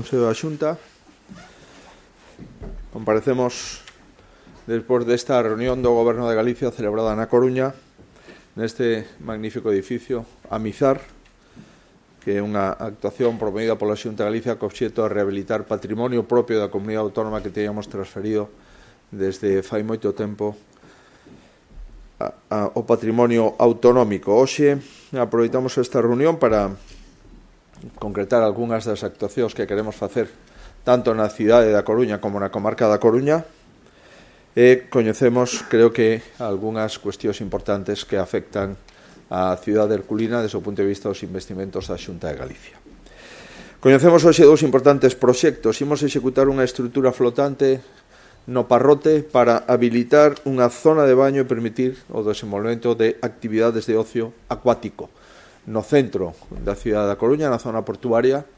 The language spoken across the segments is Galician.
Consello da Xunta. Comparecemos despois desta reunión do Goberno de Galicia celebrada na Coruña, neste magnífico edificio Amizar, que é unha actuación promovida pola Xunta de Galicia co obxecto de rehabilitar patrimonio propio da comunidade autónoma que teníamos transferido desde fai moito tempo o patrimonio autonómico. Hoxe aproveitamos esta reunión para concretar algunhas das actuacións que queremos facer tanto na cidade da Coruña como na comarca da Coruña e coñecemos, creo que, algunhas cuestións importantes que afectan a cidade herculina desde o punto de vista dos investimentos da Xunta de Galicia. Coñecemos hoxe dous importantes proxectos. Imos executar unha estrutura flotante no Parrote para habilitar unha zona de baño e permitir o desenvolvemento de actividades de ocio acuático no centro da cidade da Coruña, na zona portuaria,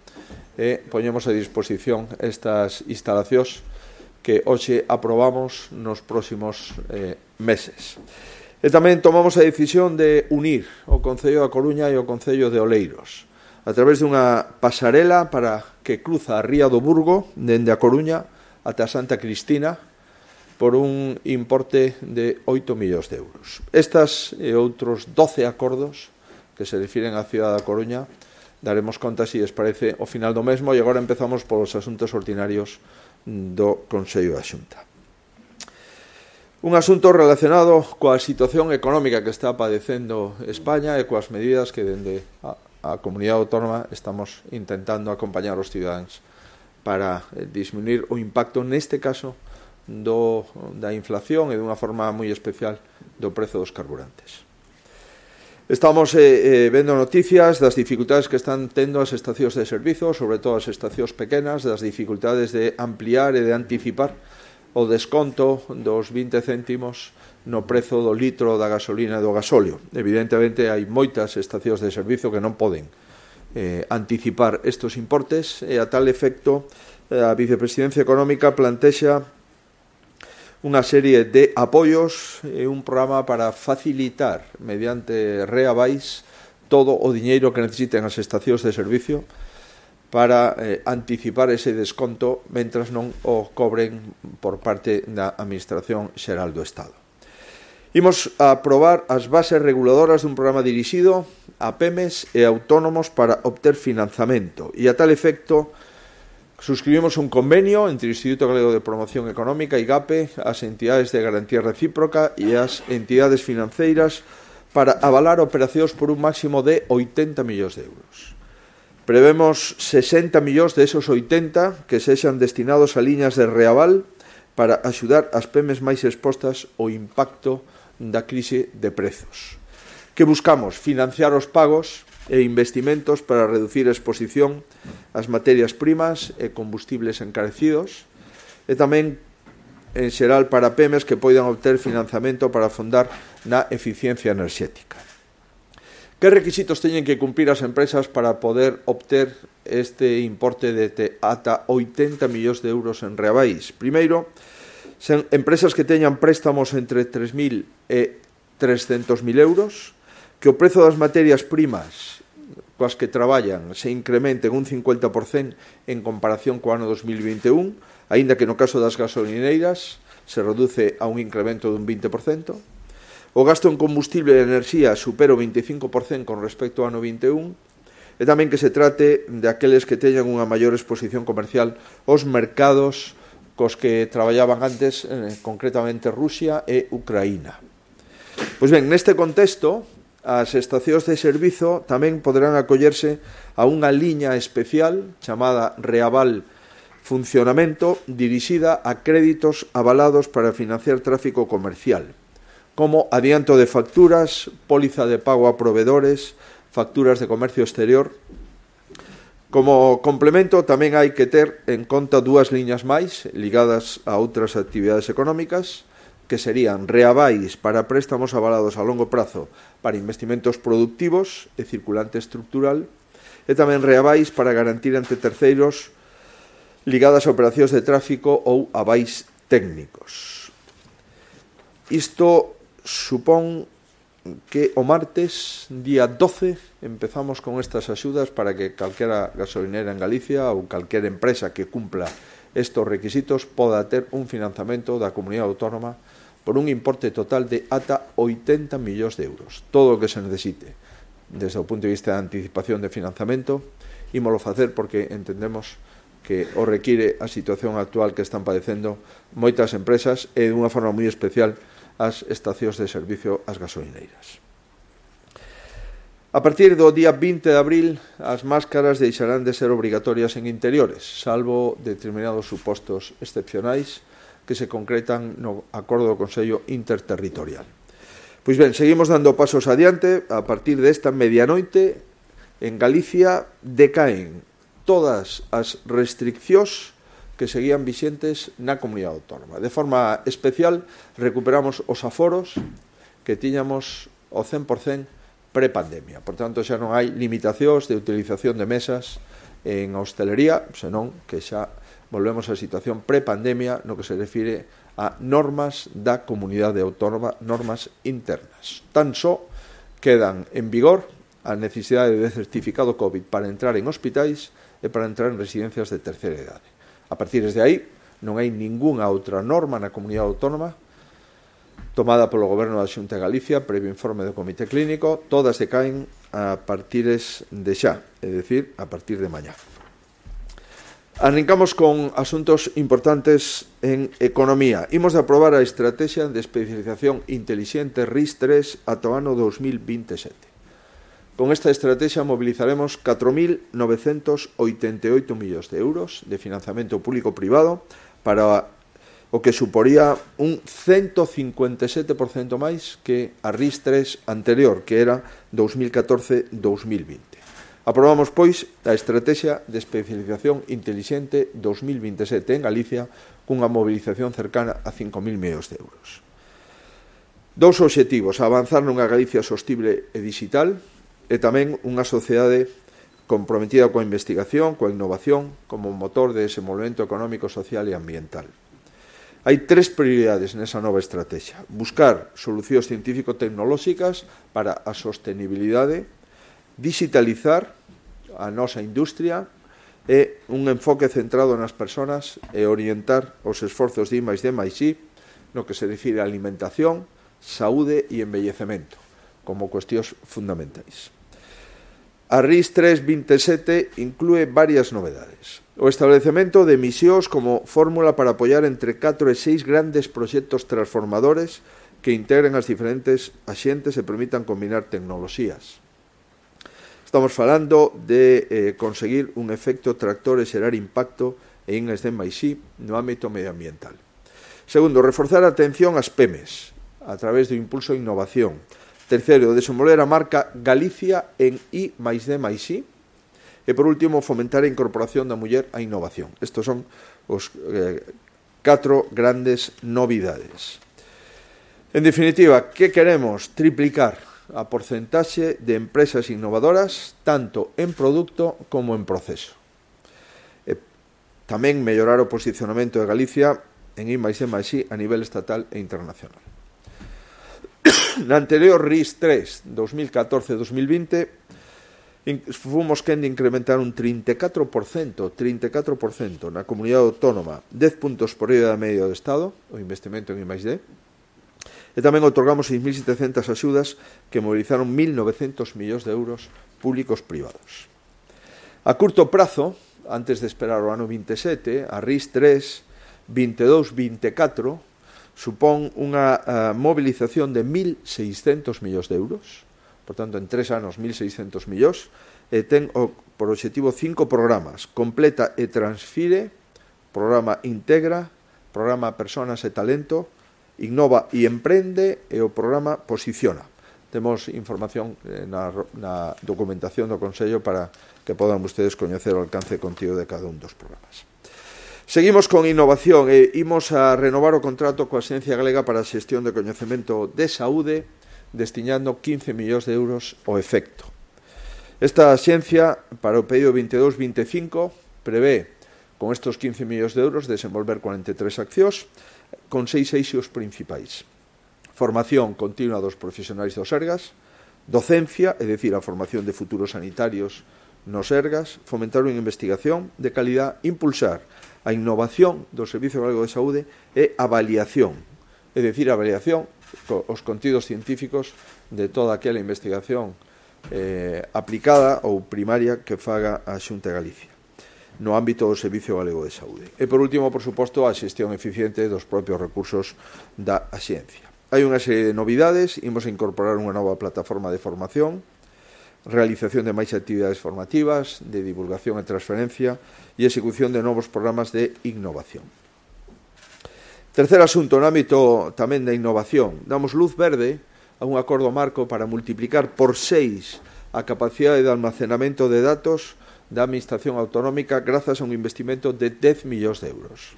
e poñemos a disposición estas instalacións que hoxe aprobamos nos próximos meses. E tamén tomamos a decisión de unir o Concello da Coruña e o Concello de Oleiros a través dunha pasarela para que cruza a Ría do Burgo dende a Coruña ata Santa Cristina por un importe de 8 millóns de euros. Estas e outros 12 acordos que se refiren á cidade da Coruña daremos conta, se lles parece, ao final do mesmo, e agora empezamos polos asuntos ordinarios do Consello da Xunta. Un asunto relacionado coa situación económica que está padecendo España e coas medidas que dende a comunidade autónoma estamos intentando acompañar os cidadáns para disminuir o impacto, neste caso, da inflación e dunha forma moi especial do prezo dos carburantes. Estamos vendo noticias das dificultades que están tendo as estacións de servizo, sobre todo as estacións pequenas, das dificultades de ampliar e de anticipar o desconto dos 20 céntimos no prezo do litro da gasolina e do gasóleo. Evidentemente, hai moitas estacións de servizo que non poden anticipar estes importes e a tal efecto a Vicepresidencia Económica plantexa unha serie de apoios e un programa para facilitar mediante reavais todo o diñeiro que necesiten as estacións de servicio para anticipar ese desconto mentras non o cobren por parte da Administración Xeral do Estado. Imos a aprobar as bases reguladoras dun programa dirixido a PEMES e autónomos para obter financiamento e a tal efecto suscribimos un convenio entre o Instituto Galego de Promoción Económica, IGAPE, as entidades de garantía recíproca e as entidades financeiras para avalar operacións por un máximo de 80 millóns de euros. Prevemos 60 millóns de esos 80 que sexan destinados a liñas de reaval para axudar as PEMES máis expostas ao impacto da crise de prezos. Que buscamos? Financiar os pagos e investimentos para reducir a exposición ás materias primas e combustibles encarecidos e tamén, en xeral, para PEMES que poidan obter financiamento para afondar na eficiencia enerxética. Que requisitos teñen que cumprir as empresas para poder obter este importe de ata 80 millóns de euros en reavais? Primeiro, sen empresas que teñan préstamos entre 3.000 e 300.000 euros, que o prezo das materias primas coas que traballan se incrementen un 50% en comparación co ano 2021, aínda que no caso das gasolineiras se reduce a un incremento dun 20%. O gasto en combustible e enerxía supera o 25% con respecto ao ano 21, e tamén que se trate de aqueles que teñan unha maior exposición comercial aos mercados cos que traballaban antes, concretamente Rusia e Ucraína. Pois ben, neste contexto, as estacións de servizo tamén poderán acollerse a unha liña especial chamada Reaval Funcionamento, dirixida a créditos avalados para financiar tráfico comercial, como adianto de facturas, póliza de pago a proveedores, facturas de comercio exterior. Como complemento, tamén hai que ter en conta dúas liñas máis ligadas a outras actividades económicas, que serían reavais para préstamos avalados a longo prazo para investimentos productivos e circulante estructural e tamén reavais para garantir ante terceiros ligadas a operacións de tráfico ou avais técnicos. Isto supón que o martes, día 12, empezamos con estas axudas para que calquera gasolinera en Galicia ou calquera empresa que cumpla estes requisitos poda ter un financiamento da comunidade autónoma por un importe total de ata 80 millóns de euros. Todo o que se necesite desde o punto de vista de anticipación de financiamento, ímolo facer porque entendemos que o require a situación actual que están padecendo moitas empresas e dunha forma moi especial as estacións de servicio ás gasolineiras. A partir do día 20 de abril, as máscaras deixarán de ser obrigatorias en interiores, salvo determinados supostos excepcionais que se concretan no acordo do Consello Interterritorial. Pois ben, seguimos dando pasos adiante. A partir desta medianoite, en Galicia decaen todas as restriccións que seguían vixentes na comunidade autónoma. De forma especial, recuperamos os aforos que tiñamos ao 100% prepandemia. Por tanto, xa non hai limitacións de utilización de mesas en hostelería, senón que xa volvemos á situación prepandemia no que se refire a normas da comunidade autónoma, normas internas. Tan só quedan en vigor a necesidade de certificado COVID para entrar en hospitais e para entrar en residencias de terceira idade. A partir de aí, non hai ningunha outra norma na comunidade autónoma tomada polo Goberno da Xunta de Galicia, previo informe do Comité Clínico, todas decaen a partir de xa, é dicir, a partir de mañá. Arrancamos con asuntos importantes en economía. Imos de aprobar a Estrategia de Especialización Intelixente RIS3 ata o ano 2027. Con esta estrategia mobilizaremos 4.988 millóns de euros de financiamento público-privado para o que suporía un 157% máis que a RIS3 anterior, que era 2014-2020. Aprobamos, pois, a Estrategia de Especialización Intelixente 2027 en Galicia cunha mobilización cercana a 5.000 millóns de euros. Dous obxectivos: avanzar nunha Galicia sostible e digital, e tamén unha sociedade comprometida coa investigación, coa innovación, como motor de desenvolvemento económico, social e ambiental. Hai tres prioridades nesa nova estrategia: buscar solucións científico-tecnolóxicas para a sostenibilidade, digitalizar a nosa industria e un enfoque centrado nas persoas e orientar os esforzos de I+D+I no que se refire a alimentación, saúde e envellecemento como cuestións fundamentais. A RIS3 27 inclúe varias novedades. O establecemento de misións como fórmula para apoiar entre 4 e 6 grandes proxectos transformadores que integren as diferentes axentes e permitan combinar tecnoloxías. Estamos falando de conseguir un efecto tractor e xerar impacto en I+D+I no ámbito medioambiental. Segundo, reforzar a atención ás PEMES a través do impulso a innovación. Terceiro, desenvolver a marca Galicia en I+D+I. E, por último, fomentar a incorporación da muller á innovación. Estos son os 4 grandes novidades. En definitiva, que queremos? Triplicar a porcentaxe de empresas innovadoras tanto en produto como en proceso. E tamén mellorar o posicionamento de Galicia en I+D+I a nivel estatal e internacional. Na anterior RIS3 2014-2020 fomos quen de incrementar un 34% na comunidade autónoma, 10 puntos por riba da media do Estado, o investimento en I+D, e tamén otorgamos 6.700 axudas que movilizaron 1.900 millóns de euros públicos privados. A curto prazo, antes de esperar o ano 27, a RIS3 22-24 supón unha movilización de 1.600 millóns de euros, por tanto, en 3 anos 1.600 millóns, e ten por obxectivo 5 programas: Completa e Transfire, Programa Integra, Programa Personas e Talento, Innova e Emprende e o Programa Posiciona. Temos información na documentación do Consello para que podan ustedes coñecer o alcance e contido de cada un dos programas. Seguimos con innovación e imos a renovar o contrato coa Axencia Galega para a Xestión de Coñecemento de Saúde, destinando 15 millóns de euros ao efecto. Esta axencia, para o pedido 22-25, prevé, con estes 15 millóns de euros, desenvolver 43 accións, con 6 eixos principais. formación continua dos profesionais do Sergas, docencia, é dicir, a formación de futuros sanitarios nos Sergas, fomentar unha investigación de calidad, impulsar a innovación do Servicio Galego de Saúde e avaliación, é dicir, a avaliación os contidos científicos de toda aquela investigación aplicada ou primaria que faga a Xunta de Galicia no ámbito do Servicio Galego de Saúde. E, por último, por suposto, a xestión eficiente dos propios recursos da axencia. Hai unha serie de novidades, imos a incorporar unha nova plataforma de formación, realización de máis actividades formativas, de divulgación e transferencia e execución de novos programas de innovación. Terceiro asunto, no ámbito tamén da innovación, damos luz verde a un acordo marco para multiplicar por 6 a capacidade de almacenamento de datos da Administración Autonómica grazas a un investimento de 10 millóns de euros.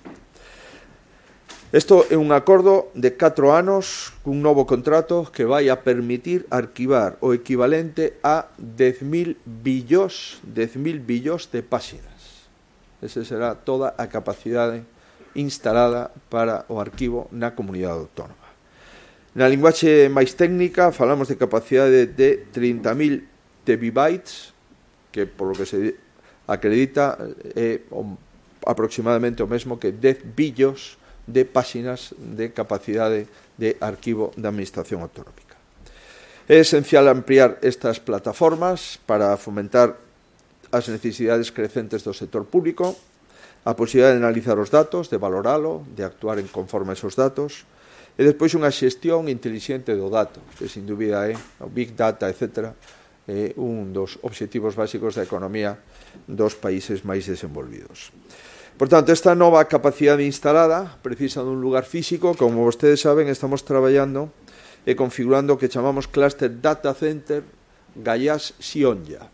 Isto é un acordo de 4 anos cun novo contrato que vai a permitir arquivar o equivalente a 10.000 billóns de páxinas. Esa será toda a capacidade instalada para o arquivo na comunidade autónoma. Na linguaxe máis técnica falamos de capacidade de 30.000 tebibytes, que por lo que se acredita é aproximadamente o mesmo que 10 billos de páxinas de capacidade de arquivo da Administración Autonómica. É esencial ampliar estas plataformas para fomentar as necesidades crecentes do sector público, a posibilidade de analizar os datos, de valoralo, de actuar en conforme a esos datos, e despois unha xestión intelixente do dato, que sin dúbida é o Big Data, etc., é un dos obxectivos básicos da economía dos países máis desenvolvidos. Por tanto, esta nova capacidade instalada precisa dun lugar físico. Como vostedes saben, estamos traballando e configurando o que chamamos Cluster Data Center Gallás Sionlla.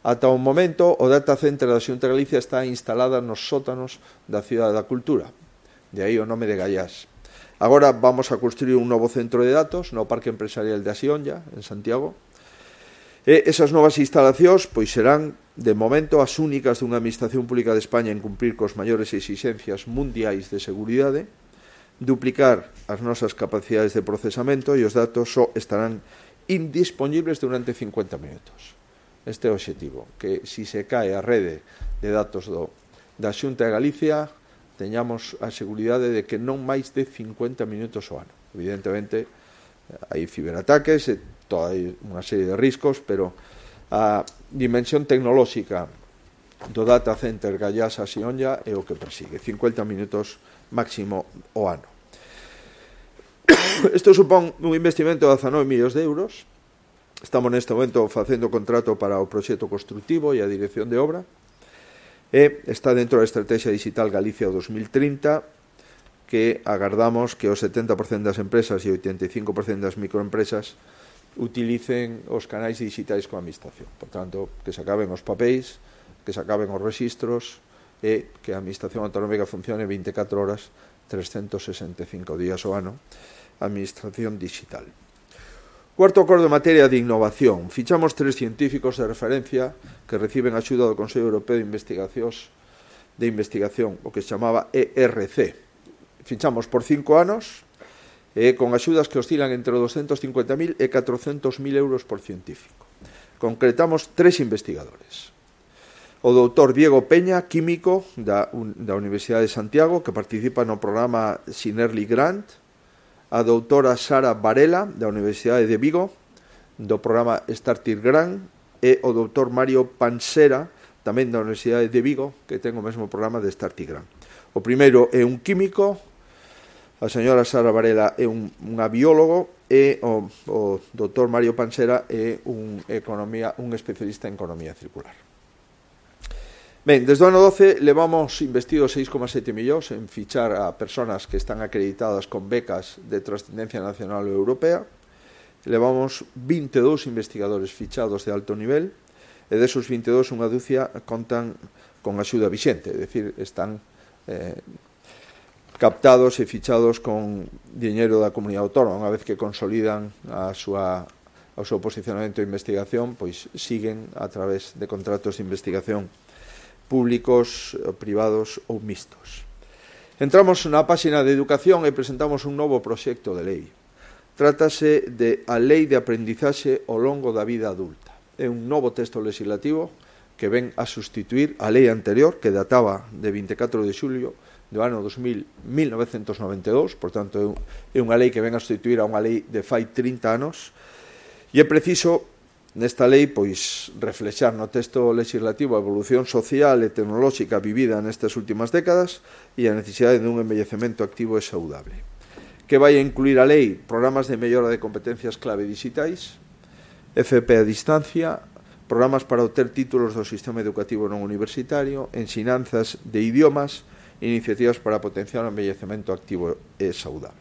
Ata o momento, o Data Center da Xunta de Galicia está instalada nos sótanos da Cidade da Cultura. De aí o nome de Gallás. Agora vamos a construir un novo centro de datos no Parque Empresarial de Sionlla, en Santiago. E esas novas instalacións pois serán, de momento, as únicas dunha Administración Pública de España en cumprir cos maiores exixencias mundiais de seguridade, duplicar as nosas capacidades de procesamento e os datos só estarán indispoñibles durante 50 minutos. Este é o obxectivo, que si se cae a rede de datos da Xunta de Galicia, teñamos a seguridade de que non máis de 50 minutos ao ano. Evidentemente, hai ciberataques e toda unha serie de riscos, pero a dimensión tecnolóxica do Data Center Gallás a Sionlla é o que persigue, 50 minutos máximo ao ano. Isto supón un investimento de 19 millóns de euros. Estamos neste momento facendo contrato para o proxecto constructivo e a dirección de obra, e está dentro da Estrategia Digital Galicia 2030, que agardamos que o 70% das empresas e o 85% das microempresas utilicen os canais digitais coa Administración. Por tanto, que se acaben os papéis, que se acaben os registros e que a Administración Autonómica funcione 24 horas, 365 días ao ano, Administración digital. Cuarto acordo en materia de innovación. Fichamos 3 científicos de referencia que reciben axuda do Consello Europeo de Investigación, o que se chamaba ERC. Fichamos por 5 anos, con axudas que oscilan entre 250.000 e 400.000 euros por científico. Concretamos 3 investigadores. O doutor Diego Peña, químico da Universidade de Santiago, que participa no programa Sinerly Grant, a doutora Sara Varela, da Universidade de Vigo, do programa Startir Grant, e o doutor Mario Pansera, tamén da Universidade de Vigo, que ten o mesmo programa de Startir Grant. O primeiro é un químico, a señora Sara Varela é unha biólogo e o doutor Mario Pansera é un especialista en economía circular. Ben, desde o ano 12 levamos investido 6,7 millóns en fichar a persoas que están acreditadas con becas de trascendencia nacional ou europea. Levamos 22 investigadores fichados de alto nivel e desos 22 unha dúcia contan con axuda vixente, é dicir, están captados e fichados con diñeiro da comunidade autónoma. Unha vez que consolidan o seu posicionamento de investigación, pois siguen a través de contratos de investigación públicos, privados ou mixtos. Entramos na páxina de educación e presentamos un novo proxecto de lei. Trátase de a Lei de Aprendizaxe ao longo da vida adulta. É un novo texto legislativo que ven a sustituir a lei anterior, que databa de 24 de xulio do ano 1992, por tanto é unha lei que ven a sustituir a unha lei de fai 30 anos, e é preciso nesta lei pois reflexar no texto legislativo a evolución social e tecnolóxica vivida nestas últimas décadas e a necesidade dun envellecemento activo e saudable. Que vai a incluir a lei programas de mellora de competencias clave digitais, FP a distancia, programas para obter títulos do sistema educativo non universitario, ensinanzas de idiomas, iniciativas para potenciar o envellecemento activo e saudable.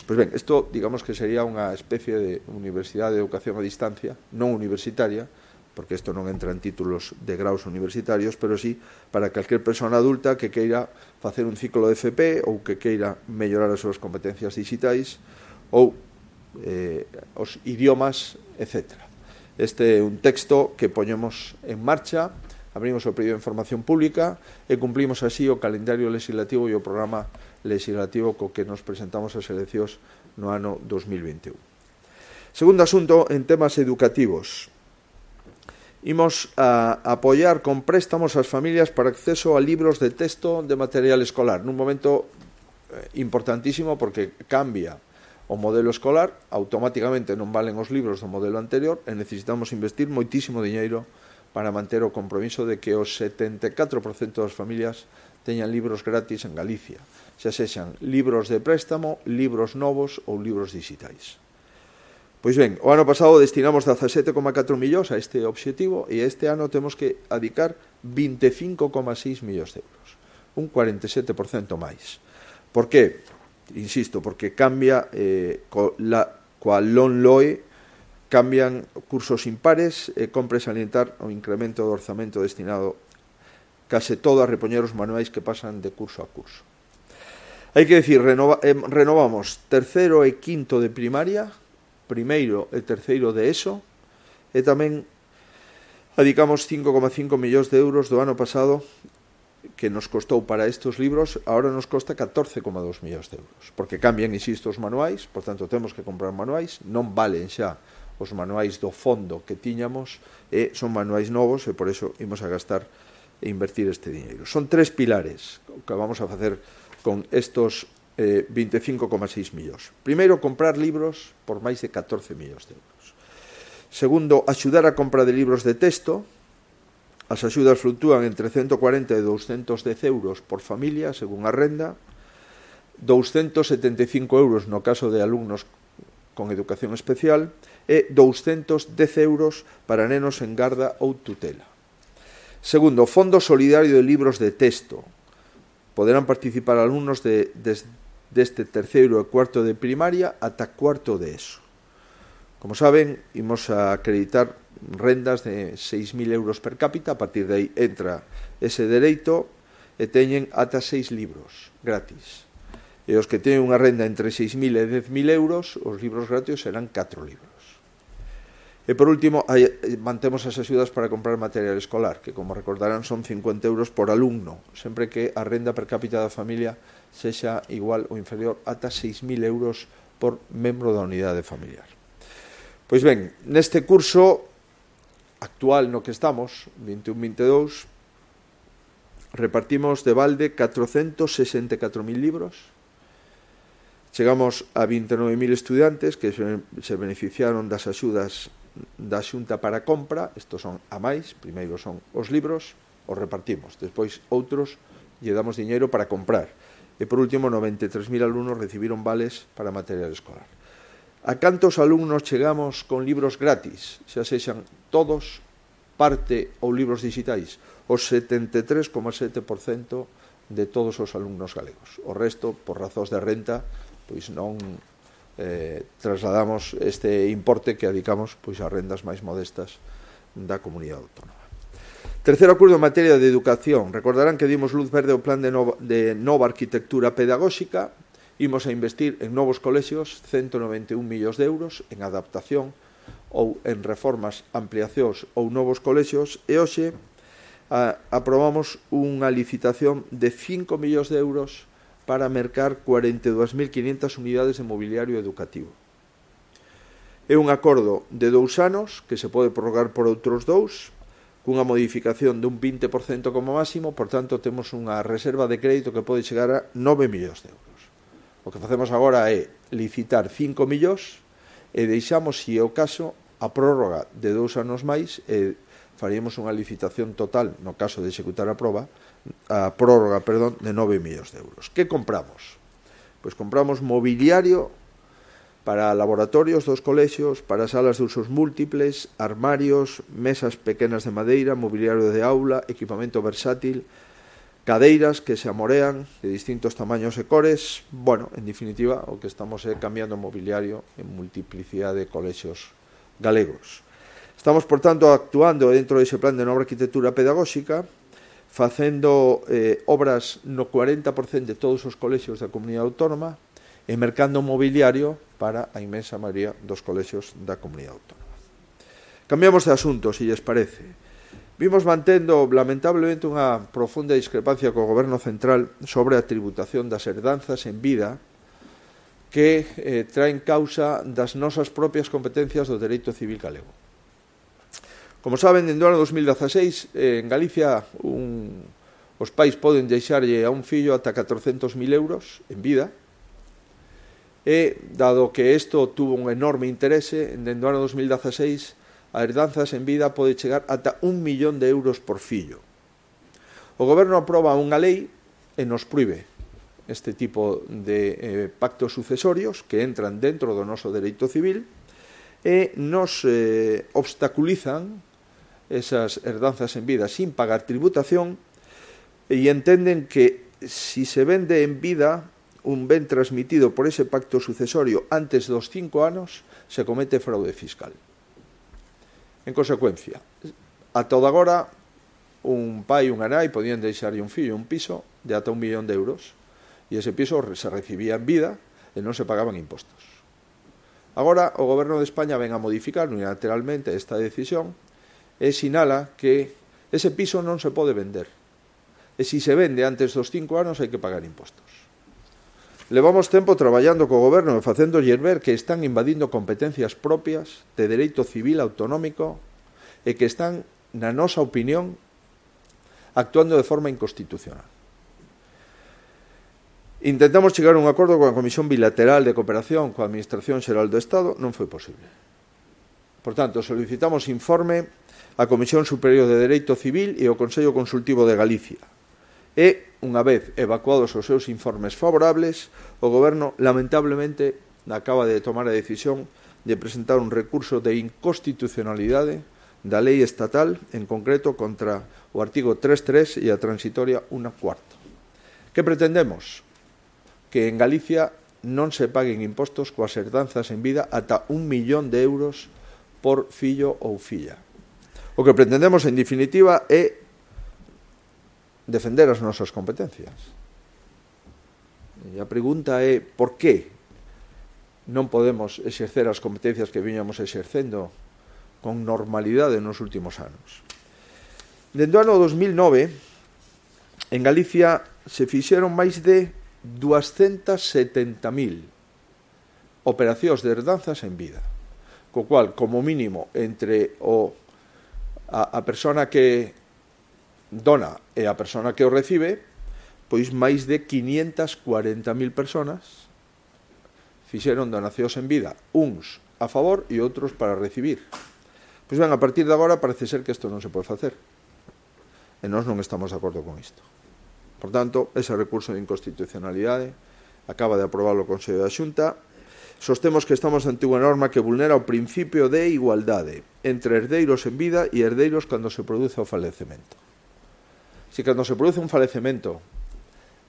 Pois ben, isto, digamos que sería unha especie de universidade de educación a distancia, non universitaria, porque isto non entra en títulos de graus universitarios, pero sí para calquer persona adulta que queira facer un ciclo de FP ou que queira mellorar as súas competencias digitais ou os idiomas, etc. Este é un texto que poñemos en marcha, abrimos o período de información pública e cumplimos así o calendario legislativo e o programa legislativo co que nos presentamos ás eleccións no ano 2021. Segundo asunto, en temas educativos. Imos a apoiar con préstamos ás familias para acceso a libros de texto de material escolar, nun momento importantísimo porque cambia o modelo escolar, automáticamente non valen os libros do modelo anterior e necesitamos investir moitísimo diñeiro para manter o compromiso de que os 74% das familias teñan libros gratis en Galicia, xa sexan libros de préstamo, libros novos ou libros digitais. Pois ben, o ano pasado destinamos 17,4 millóns a este obxectivo e este ano temos que adicar 25,6 millóns de euros, un 47% máis. Por que? Insisto, porque cambia coa LONLOE, cambian cursos impares e compre salientar o incremento do orzamento destinado case todo a repoñer os manuais que pasan de curso a curso. Hai que decir, renovamos terceiro e quinto de primaria, primeiro e terceiro de ESO, e tamén adicamos 5,5 millóns de euros do ano pasado que nos costou para estes libros, agora nos costa 14,2 millóns de euros, porque cambian, insisto, os manuais, por tanto temos que comprar manuais, non valen xa os manuais do fondo que tiñamos, e son manuais novos, e por iso imos a gastar e invertir este diñeiro. Son tres pilares que vamos a facer con estos 25,6 millóns. Primeiro, comprar libros por máis de 14 millóns de euros. Segundo, axudar a compra de libros de texto. As axudas fluctúan entre 140 e 210 euros por familia, según a renda, 275 euros no caso de alumnos con educación especial e 210 euros para nenos en garda ou tutela. Segundo, Fondo Solidario de Libros de Texto. Poderán participar alumnos deste terceiro e cuarto de primaria ata cuarto de ESO. Como saben, imos a acreditar rendas de 6.000 euros per cápita, a partir de aí entra ese dereito e teñen ata 6 libros gratis. E os que teñen unha renda entre 6.000 e 10.000 euros, os libros gratis serán 4 libros. E por último, mantemos as axudas para comprar material escolar, que como recordarán son 50 euros por alumno, sempre que a renda per cápita da familia sexa igual ou inferior ata 6.000 euros por membro da unidade familiar. Pois ben, neste curso actual no que estamos, 21-22, repartimos de balde 464.000 libros, chegamos a 29.000 estudiantes que se beneficiaron das axudas da Xunta para compra, estos son a máis, primeiro son os libros, os repartimos, despois outros lle damos diñeiro para comprar, e por último 93.000 alumnos recibiron vales para material escolar. A cantos alumnos chegamos con libros gratis, xa sexan todos, parte ou libros digitais? O 73,7% de todos os alumnos galegos. O resto, por razóns de renta, pois non trasladamos este importe que adicamos pois a rendas máis modestas da comunidade autónoma. Terceiro acordo en materia de educación. Recordarán que dimos luz verde ao plan de nova arquitectura pedagóxica. Imos a investir en novos colexios 191 millóns de euros en adaptación ou en reformas, ampliacións ou novos colexios, e hoxe aprobamos unha licitación de 5 millóns de euros para mercar 42.500 unidades de mobiliario educativo. É un acordo de 2 anos que se pode prorrogar por outros 2, cunha modificación dun 20% como máximo, por tanto, temos unha reserva de crédito que pode chegar a 9 millóns de euros. O que facemos agora é licitar 5 millóns e deixamos, se é o caso, a prórroga de 2 anos máis e faríamos unha licitación total, no caso de executar a prórroga, de 9 millóns de euros. Que compramos? Pois compramos mobiliario para laboratorios dos colexios, para salas de usos múltiples, armarios, mesas pequenas de madeira, mobiliario de aula, equipamento versátil, cadeiras que se amorean de distintos tamaños e cores. Bueno, en definitiva, o que estamos é cambiando mobiliario en multiplicidade de colexios galegos. Estamos, por tanto, actuando dentro dese plan de nova arquitectura pedagóxica, facendo obras no 40% de todos os colexios da comunidade autónoma e mercando mobiliario para a inmensa maioría dos colexios da comunidade autónoma. Cambiamos de asunto, se lles parece. Vimos mantendo, lamentablemente, unha profunda discrepancia co Goberno Central sobre a tributación das herdanzas en vida que traen causa das nosas propias competencias do dereito civil galego. Como saben, dende o ano 2016, en Galicia, os pais poden deixarlle a un fillo ata 400.000 euros en vida, e, dado que isto tuvo un enorme interese, dende o ano 2016, a herdanzas en vida pode chegar ata 1 millón de euros por fillo. O Goberno aproba unha lei e nos proíbe este tipo de pactos sucesorios que entran dentro do noso dereito civil e nos obstaculizan esas herdanzas en vida sin pagar tributación e entenden que si se vende en vida un ben transmitido por ese pacto sucesorio antes dos 5 anos, se comete fraude fiscal. En consecuencia, ata o de agora, un pai e unha nai podían deixarlle un fillo un piso de ata 1 millón de euros e ese piso se recibía en vida e non se pagaban impostos. Agora, o Goberno de España ven a modificar unilateralmente esta decisión e sinala que ese piso non se pode vender. E se se vende antes dos 5 anos hai que pagar impostos. Levamos tempo traballando co Goberno e facéndolles ver que están invadindo competencias propias de dereito civil autonómico e que están, na nosa opinión, actuando de forma inconstitucional. Intentamos chegar a un acordo coa Comisión Bilateral de Cooperación coa Administración Xeral do Estado, non foi posible. Por tanto, solicitamos informe á Comisión Superior de Dereito Civil e ao Consello Consultivo de Galicia. E, unha vez evacuados os seus informes favorables, o Goberno, lamentablemente, acaba de tomar a decisión de presentar un recurso de inconstitucionalidade da lei estatal, en concreto contra o artigo 3.3 e a transitoria 1.4. Que pretendemos? Que en Galicia non se paguen impostos coas herdanzas en vida ata 1 millón de euros por fillo ou filla. O que pretendemos, en definitiva, é defender as nosas competencias. E a pregunta é por que non podemos exercer as competencias que viñamos exercendo con normalidade nos últimos anos. Dende o ano 2009, en Galicia se fixeron máis de 270.000 operacións de herdanzas en vida, co cual, como mínimo, entre a persona que dona e a persona que o recibe, pois máis de 540.000 personas fixeron donacións en vida, uns a favor e outros para recibir. Pois ben, a partir de agora parece ser que isto non se pode facer e nós non estamos de acordo con isto. Por tanto, ese recurso de inconstitucionalidade acaba de aprobar o Consello da Xunta. Sostemos que estamos ante unha norma que vulnera o principio de igualdade entre herdeiros en vida e herdeiros cando se produce o falecemento. Se cando se produce un falecemento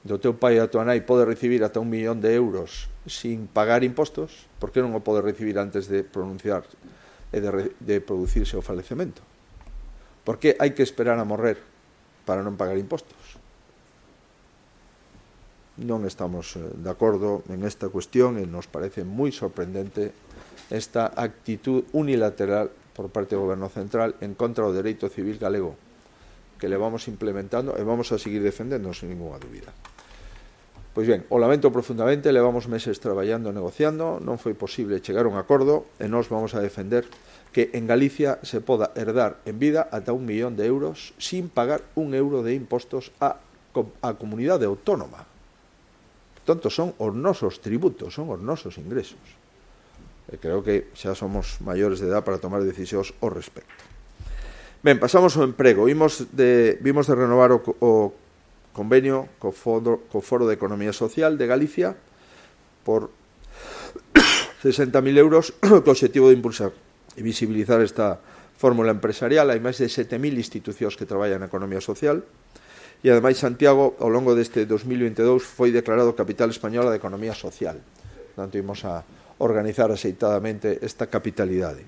do teu pai e a tua nai pode recibir ata 1 millón de euros sin pagar impostos, por que non o pode recibir antes de pronunciar e de producirse o falecemento? Por que hai que esperar a morrer para non pagar impostos? Non estamos de acordo en esta cuestión e nos parece moi sorprendente esta actitud unilateral por parte do Goberno Central en contra do dereito civil galego, que le vamos implementando e vamos a seguir defendendo sin ninguna dúbida. Pois ben, o lamento profundamente, levamos meses traballando e negociando, non foi posible chegar a un acordo e nós vamos a defender que en Galicia se poda herdar en vida ata 1 millón de euros sin pagar 1 euro de impostos á comunidade autónoma. Portanto, son os nosos tributos, son os nosos ingresos. E creo que xa somos maiores de edad para tomar decisións ao respecto. Ben, pasamos ao emprego. Vimos de renovar o convenio co Foro de Economía Social de Galicia por 60.000 euros co obxectivo de impulsar e visibilizar esta fórmula empresarial. Hai máis de 7.000 institucións que traballan na economía social e, ademais, Santiago, ao longo deste 2022, foi declarado Capital Española de Economía Social. Portanto, imos a organizar axeitadamente esta capitalidade.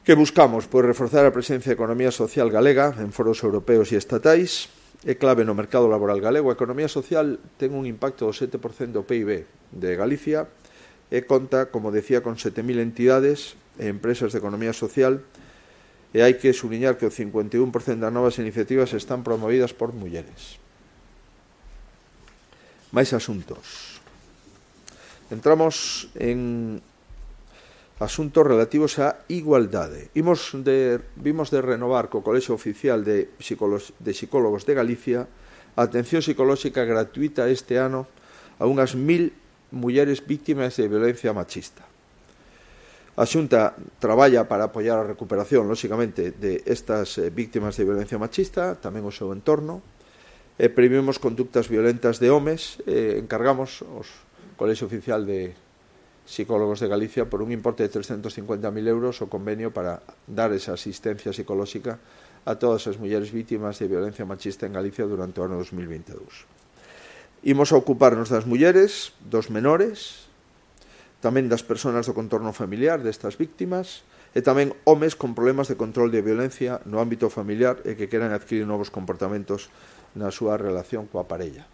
Que buscamos? Pois reforzar a presencia da economía social galega en foros europeos e estatais. É clave no mercado laboral galego. A economía social ten un impacto do 7% do PIB de Galicia e conta, como decía, con 7.000 entidades e empresas de economía social, e hai que subliñar que o 51% das novas iniciativas están promovidas por mulleres. Máis asuntos. Entramos en asuntos relativos á igualdade. Vimos de renovar co Colexio Oficial de Psicólogos de Galicia a atención psicolóxica gratuita este ano a unhas 1.000 mulleres víctimas de violencia machista. A Xunta traballa para apoiar a recuperación, lóxicamente, de estas víctimas de violencia machista, tamén o seu entorno, e previmos conductas violentas de homes, encargamos os Colexio Oficial de Psicólogos de Galicia por un importe de 350.000 euros o convenio para dar esa asistencia psicolóxica a todas as mulleres vítimas de violencia machista en Galicia durante o ano 2022. Imos a ocuparnos das mulleres, dos menores, tamén das persoas do contorno familiar destas víctimas e tamén homes con problemas de control de violencia no ámbito familiar e que queran adquirir novos comportamentos na súa relación coa parella.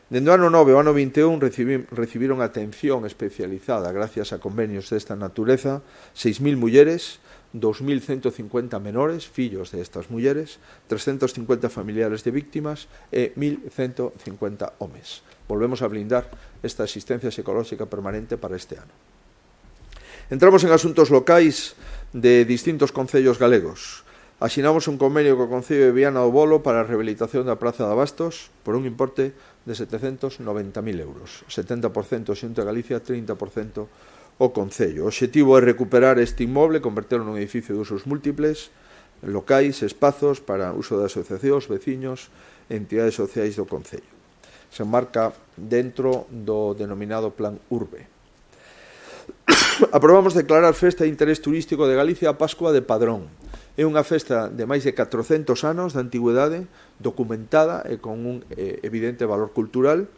Dende o ano 9 ao ano 21 recibiron atención especializada gracias a convenios desta natureza 6.000 mulleres, 2.150 menores, fillos de estas mulleres, 350 familiares de víctimas e 1.150 homes. Volvemos a blindar esta asistencia psicolóxica permanente para este ano. Entramos en asuntos locais de distintos concellos galegos. Asinamos un convenio co Concello de Viana do Bolo para a rehabilitación da Praza de Abastos por un importe de 790.000 euros. 70% Xunta de Galicia, 30% o Concello. O obxectivo é recuperar este inmoble, converterlo nun edificio de usos múltiples, locais, espazos para uso de asociacións, veciños e entidades sociais do Concello. Se enmarca dentro do denominado Plan Urbe. Aprobamos declarar Festa de Interés Turístico de Galicia a Pascua de Padrón. É unha festa de máis de 400 anos de antigüedade, documentada e con un evidente valor cultural.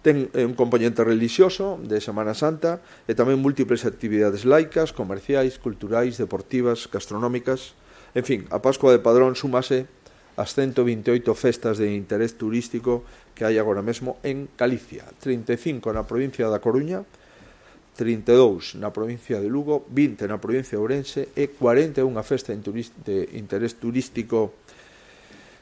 Ten un componente religioso de Semana Santa e tamén múltiples actividades laicas, comerciais, culturais, deportivas, gastronómicas. En fin, a Pascua de Padrón súmase ás 128 festas de interés turístico que hai agora mesmo en Galicia. 35 na provincia da Coruña, 32 na provincia de Lugo, 20 na provincia de Ourense e 41 festa de interés turístico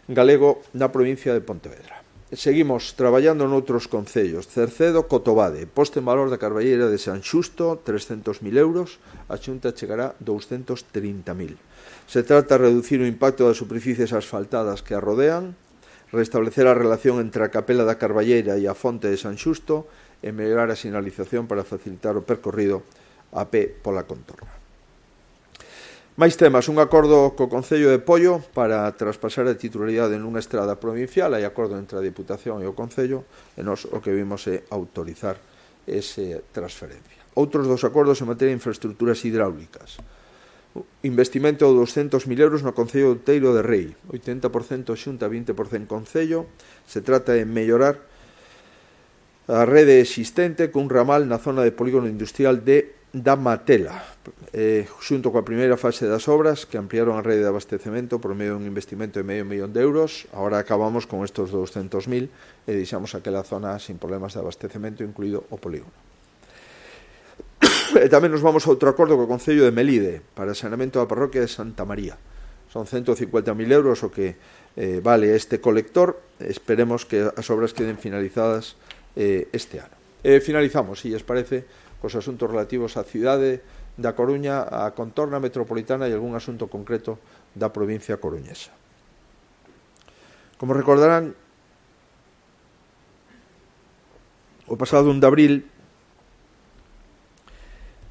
galego na provincia de Pontevedra. Seguimos traballando noutros concellos. Cercedo, Cotobade, posta en valor da carballeira de San Xusto, 300.000 euros, a Xunta chegará 230.000. Se trata de reducir o impacto das superficies asfaltadas que a rodean, restablecer a relación entre a capela da carballeira e a fonte de San Xusto e mellorar a sinalización para facilitar o percorrido a pé pola contorna. Máis temas, un acordo co Concello de Pollo para traspasar a titularidade nunha estrada provincial, hai acordo entre a Diputación e o Concello, e nós o que vimos é autorizar esa transferencia. Outros dos acordos en materia de infraestructuras hidráulicas. Investimento de 200.000 euros no Concello de Outeiro de Rei, 80% Xunta, 20% Concello. Se trata de mellorar a rede existente cun ramal na zona de polígono industrial da Matela, xunto coa primeira fase das obras que ampliaron a rede de abastecemento por medio dun investimento de $500.000 de euros. Agora acabamos con estos 200.000 e deixamos aquela zona sin problemas de abastecemento, incluído o polígono. E tamén nos vamos a outro acordo co Concello de Melide para o saneamento da parroquia de Santa María. Son 150.000 euros o que vale este colector. Esperemos que as obras queden finalizadas este ano. Finalizamos, se lles parece, cos asuntos relativos á cidade da Coruña, a contorna metropolitana e algún asunto concreto da provincia coruñesa. Como recordarán, o pasado 1 de abril,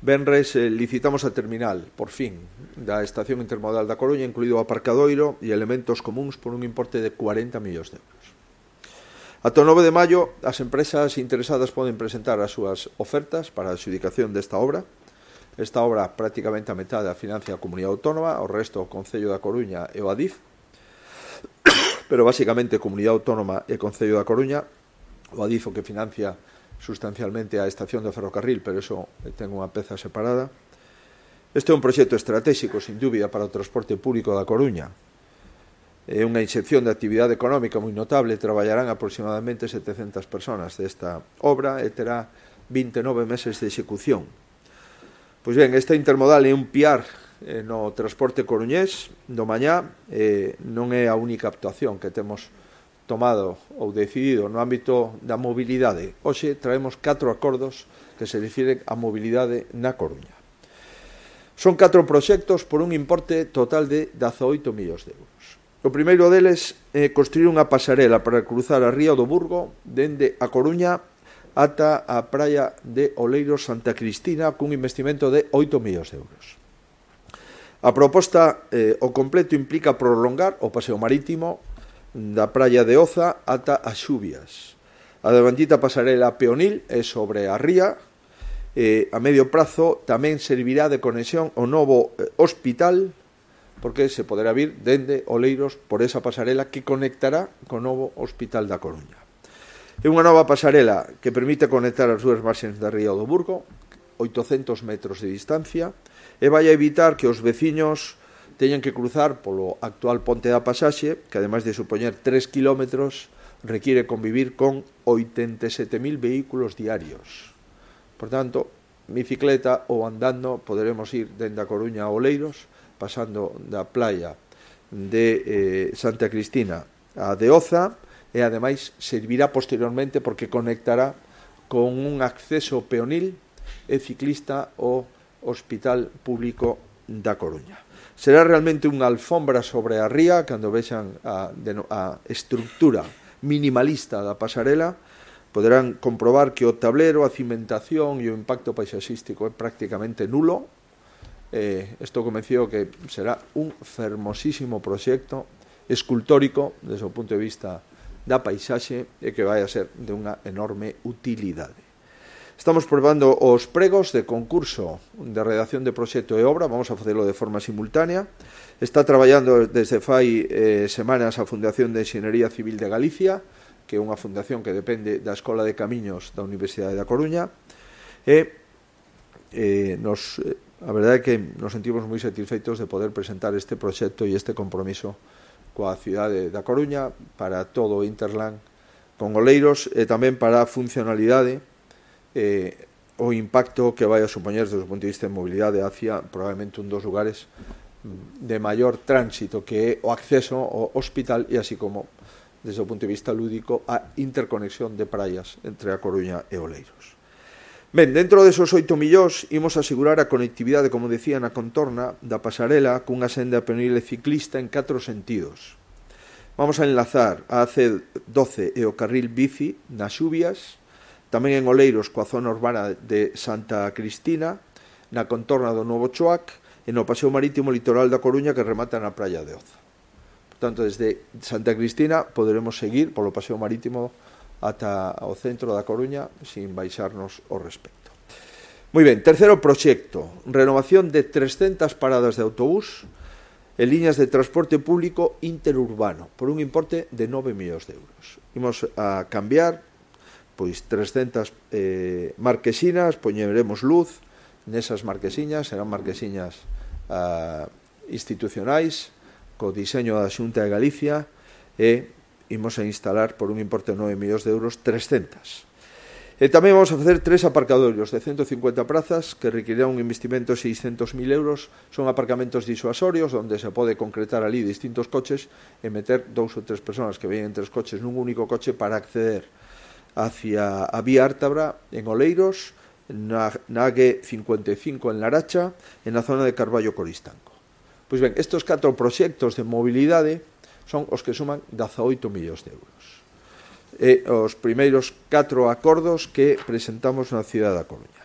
venres licitamos a terminal, por fin, da estación intermodal da Coruña, incluído o aparcadoiro e elementos comuns por un importe de 40 millóns de euros. Ata o 9 de maio, as empresas interesadas poden presentar as súas ofertas para a adxudicación desta obra. Esta obra, prácticamente a metade, a financia a Comunidade Autónoma, o resto o Concello da Coruña e o Adif, pero basicamente Comunidade Autónoma e Concello da Coruña. O Adif o que financia sustancialmente a estación de ferrocarril, pero eso ten unha peza separada. Este é un proxecto estratégico, sin dúbida, para o transporte público da Coruña. É unha inxección de actividade económica moi notable. Traballarán aproximadamente 700 personas desta obra e terá 29 meses de execución. Pois ben, esta intermodal é un piar no transporte coruñés do mañá. Non é a única actuación que temos tomado ou decidido no ámbito da mobilidade. Hoxe traemos 4 acordos que se refiren á mobilidade na Coruña. Son 4 proxectos por un importe total de 18 millóns de euros. O primeiro deles é construir unha pasarela para cruzar a ría do Burgo dende a Coruña ata a praia de Oleiros Santa Cristina cun investimento de 8 millóns de euros. A proposta o completo implica prolongar o paseo marítimo da praia de Oza ata as Xubias. A devandita pasarela peonil é sobre a ría. A medio prazo tamén servirá de conexión ao novo hospital, porque se poderá vir dende Oleiros por esa pasarela que conectará co novo hospital da Coruña. É unha nova pasarela que permite conectar as dúas marxes da ría do Burgo, 800 metros de distancia, e vai a evitar que os veciños teñen que cruzar polo actual ponte da Pasaxe, que ademais de supoñer 3 kilómetros, requiere convivir con 87.000 vehículos diarios. Por tanto, bicicleta ou andando poderemos ir dende a Coruña a Oleiros, pasando da playa de Santa Cristina a de Oza, e ademais servirá posteriormente porque conectará con un acceso peonil e ciclista ao Hospital Público da Coruña. Será realmente unha alfombra sobre a ría cando vexan a estructura minimalista da pasarela. Poderán comprobar que o tablero, a cimentación e o impacto paisaxístico é prácticamente nulo. Estou convencido que será un fermosísimo proxecto escultórico desde o punto de vista da paisaxe e que vai a ser de unha enorme utilidade. Estamos probando os pregos de concurso de redacción de proxecto e obra. Vamos a facelo de forma simultánea. Está traballando desde fai semanas a Fundación de Enxeñería Civil de Galicia, que é unha fundación que depende da Escola de Camiños da Universidade da Coruña. A verdade é que nos sentimos moi satisfeitos de poder presentar este proxecto e este compromiso coa cidade da Coruña para todo o Interland con Oleiros e tamén para a funcionalidade o impacto que vai a supoñer desde o punto de vista de mobilidade hacia probablemente un dos lugares de maior tránsito, que é o acceso ao hospital e así como desde o punto de vista lúdico a interconexión de praias entre a Coruña e Oleiros. Ben, dentro desos 8 millóns imos asegurar a conectividade, como decía, na contorna da pasarela cunha senda peonil e ciclista en 4 sentidos. Vamos a enlazar a AC12 e o carril bici nas Xubias, tamén en Oleiros coa zona urbana de Santa Cristina, na contorna do Novo Choac e no paseo marítimo litoral da Coruña que remata na praia de Oza. Por tanto, desde Santa Cristina poderemos seguir polo paseo marítimo ata o centro da Coruña sin baixarnos o respecto. Moi ben, terceiro proxecto, renovación de 300 paradas de autobús e liñas de transporte público interurbano por un importe de 9 millóns de euros. Imos a cambiar pois 300 marquesinas, poñeremos luz nesas marquesiñas, serán marquesiñas institucionais co diseño da Xunta de Galicia e imos a instalar por un importe de 9 millóns de euros 300. E tamén vamos a facer 3 aparcadoiros de 150 prazas que requerirán un investimento de 600.000 euros. Son aparcamentos disuasorios onde se pode concretar ali distintos coches e meter 2 ou 3 persoas que veñen 3 coches nun único coche para acceder hacia a vía Ártabra en Oleiros, na AG55 en Laracha e na zona de Carballo Coristanco. Pois ben, estes 4 proxectos de mobilidade son os que suman 18 millóns de euros. E os primeiros 4 acordos que presentamos na cidade da Coruña.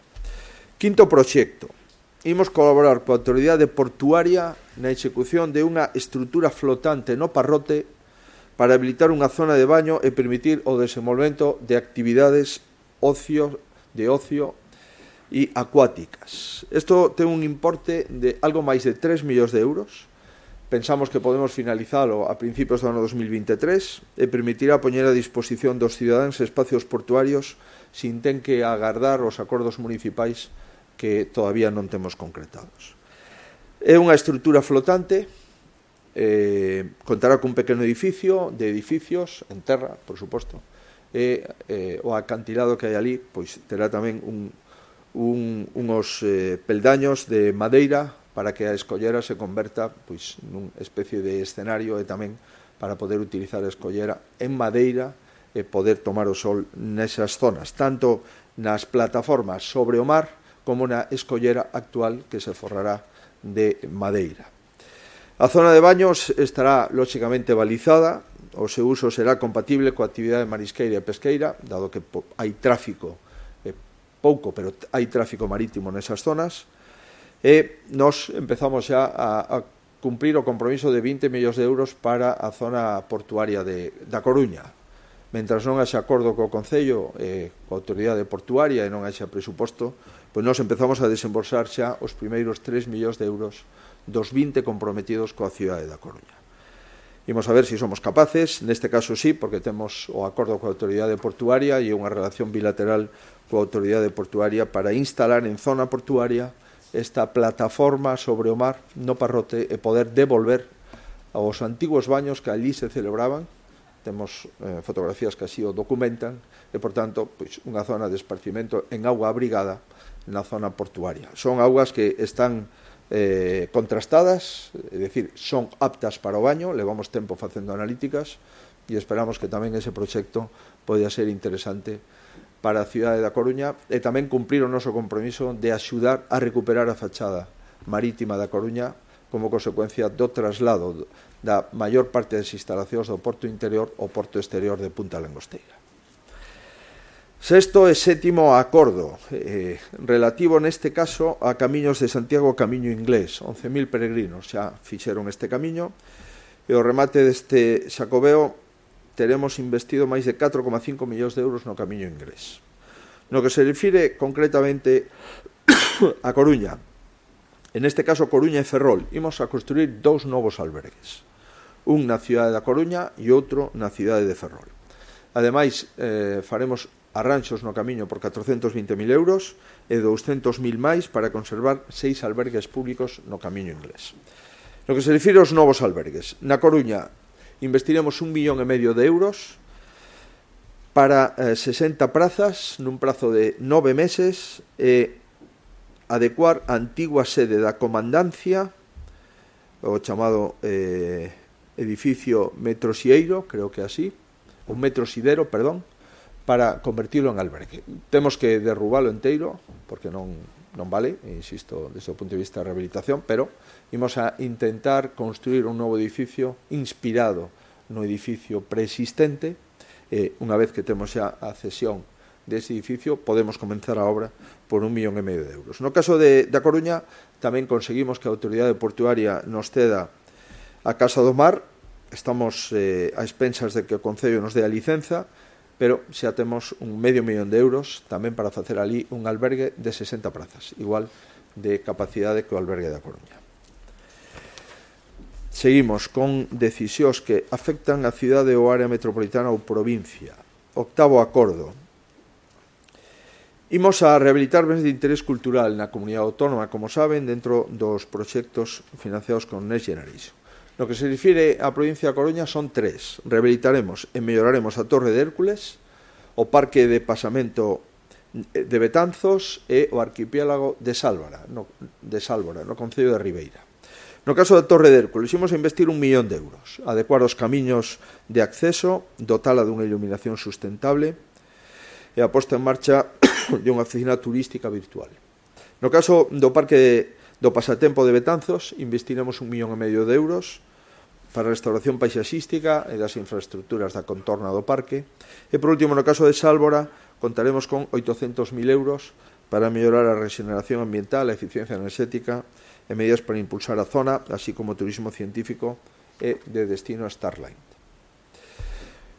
Quinto proxecto. Imos colaborar coa autoridade portuaria na execución de unha estrutura flotante no Parrote para habilitar unha zona de baño e permitir o desenvolvemento de actividades de ocio e acuáticas. Isto ten un importe de algo máis de 3 millóns de euros. Pensamos que podemos finalizalo a principios do ano 2023 e permitirá poñer a disposición dos cidadáns espacios portuarios sin ten que agardar os acordos municipais que todavía non temos concretados. É unha estrutura flotante, contará cun pequeno edificio de edificios en terra, por suposto, e o acantilado que hai ali pois terá tamén uns peldaños de madeira para que a escollera se converta pois nunha especie de escenario e tamén para poder utilizar a escollera en madeira e poder tomar o sol nesas zonas, tanto nas plataformas sobre o mar como na escollera actual que se forrará de madeira. A zona de baños estará lóxicamente balizada, o seu uso será compatible coa actividade marisqueira e pesqueira, dado que hai tráfico, pouco, pero hai tráfico marítimo nesas zonas, e nos empezamos xa a cumprir o compromiso de 20 millóns de euros para a zona portuaria da Coruña. Mentras non haxa acordo co Concello e coa autoridade portuaria e non haxa presuposto, pois nos empezamos a desembolsar xa os primeiros 3 millóns de euros dos 20 comprometidos coa cidade da Coruña. Imos a ver se somos capaces, neste caso sí, porque temos o acordo coa autoridade portuaria e unha relación bilateral coa autoridade portuaria para instalar en zona portuaria esta plataforma sobre o mar no Parrote e poder devolver aos antigos baños que allí se celebraban. Temos fotografías que así o documentan e, por tanto, pois, unha zona de esparcimento en auga abrigada na zona portuaria. Son augas que están contrastadas, é dicir, son aptas para o baño, levamos tempo facendo analíticas e esperamos que tamén ese proxecto poida ser interesante para a cidade da Coruña e tamén cumprir o noso compromiso de axudar a recuperar a fachada marítima da Coruña como consecuencia do traslado da maior parte das instalacións do porto interior ao porto exterior de Punta Langosteira. Sexto e sétimo acordo, relativo neste caso a Camiños de Santiago, Camiño Inglés. 11.000 peregrinos xa fixeron este camiño e o remate deste Xacobeo teremos investido máis de 4,5 millóns de euros no Camiño Inglés. No que se refire concretamente a Coruña, en este caso Coruña e Ferrol, imos a construir 2 novos albergues, un na cidade da Coruña e outro na cidade de Ferrol. Ademais, faremos arranxos no camiño por 420.000 euros e 200.000 máis para conservar 6 albergues públicos no Camiño Inglés. No que se refire aos novos albergues, na Coruña investiremos 1,5 millón de euros para 60 prazas nun prazo de 9 meses e adecuar a antigua sede da comandancia, o chamado edificio Metrosieiro, creo que así, un Metrosidero, perdón, para convertirlo en albergue. Temos que derrubalo enteiro, porque non vale, insisto, desde o punto de vista de rehabilitación, pero imos a intentar construir un novo edificio inspirado no edificio preexistente. Unha vez que temos xa a cesión dese edificio, podemos comenzar a obra por 1,5 millón de euros. No caso da Coruña, tamén conseguimos que a autoridade portuaria nos ceda a Casa do Mar. Estamos a expensas de que o Concello nos dé a licenza, pero xa temos 0,5 millón de euros tamén para facer ali un albergue de 60 prazas, igual de capacidade que o albergue da Coruña. Seguimos con decisións que afectan a cidade ou área metropolitana ou provincia. Octavo acordo. Imos a rehabilitar bens de interés cultural na comunidade autónoma, como saben, dentro dos proxectos financiados con Next Generation. No que se refire á provincia da Coruña son 3. Rehabilitaremos e melloraremos a Torre de Hércules, o Parque de Pasamento de Betanzos e o arquipiélago de Sálvora, no concello de Ribeira. No caso da Torre de Hércules, imos a investir 1 millón de euros, adecuar os camiños de acceso, dotala dunha iluminación sustentable e a posta en marcha de unha oficina turística virtual. No caso do parque do pasatempo de Betanzos, investiremos 1,5 millón de euros para a restauración paisaxística e das infraestructuras da contorna do parque. E, por último, no caso de Sálvora, contaremos con 800.000 euros para mellorar a regeneración ambiental, a eficiencia enerxética e medidas para impulsar a zona, así como turismo científico e de destino a Starline.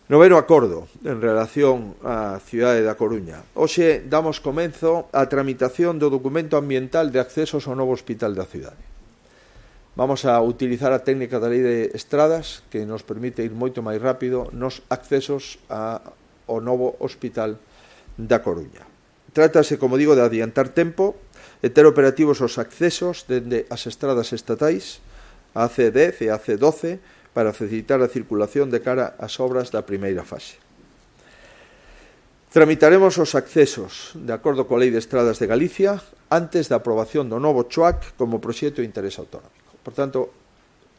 Noveno acordo en relación á cidade da Coruña. Hoxe damos comenzo á tramitación do documento ambiental de accesos ao novo hospital da cidade. Vamos a utilizar a técnica da lei de estradas que nos permite ir moito máis rápido nos accesos ao novo hospital da Coruña. Trátase, como digo, de adiantar tempo e ter operativos os accesos dende as estradas estatais, a AC10 e a AC12, para facilitar a circulación de cara ás obras da primeira fase. Tramitaremos os accesos, de acordo coa Lei de Estradas de Galicia, antes da aprobación do novo CHOAC como proxecto de interés autonómico. Por tanto,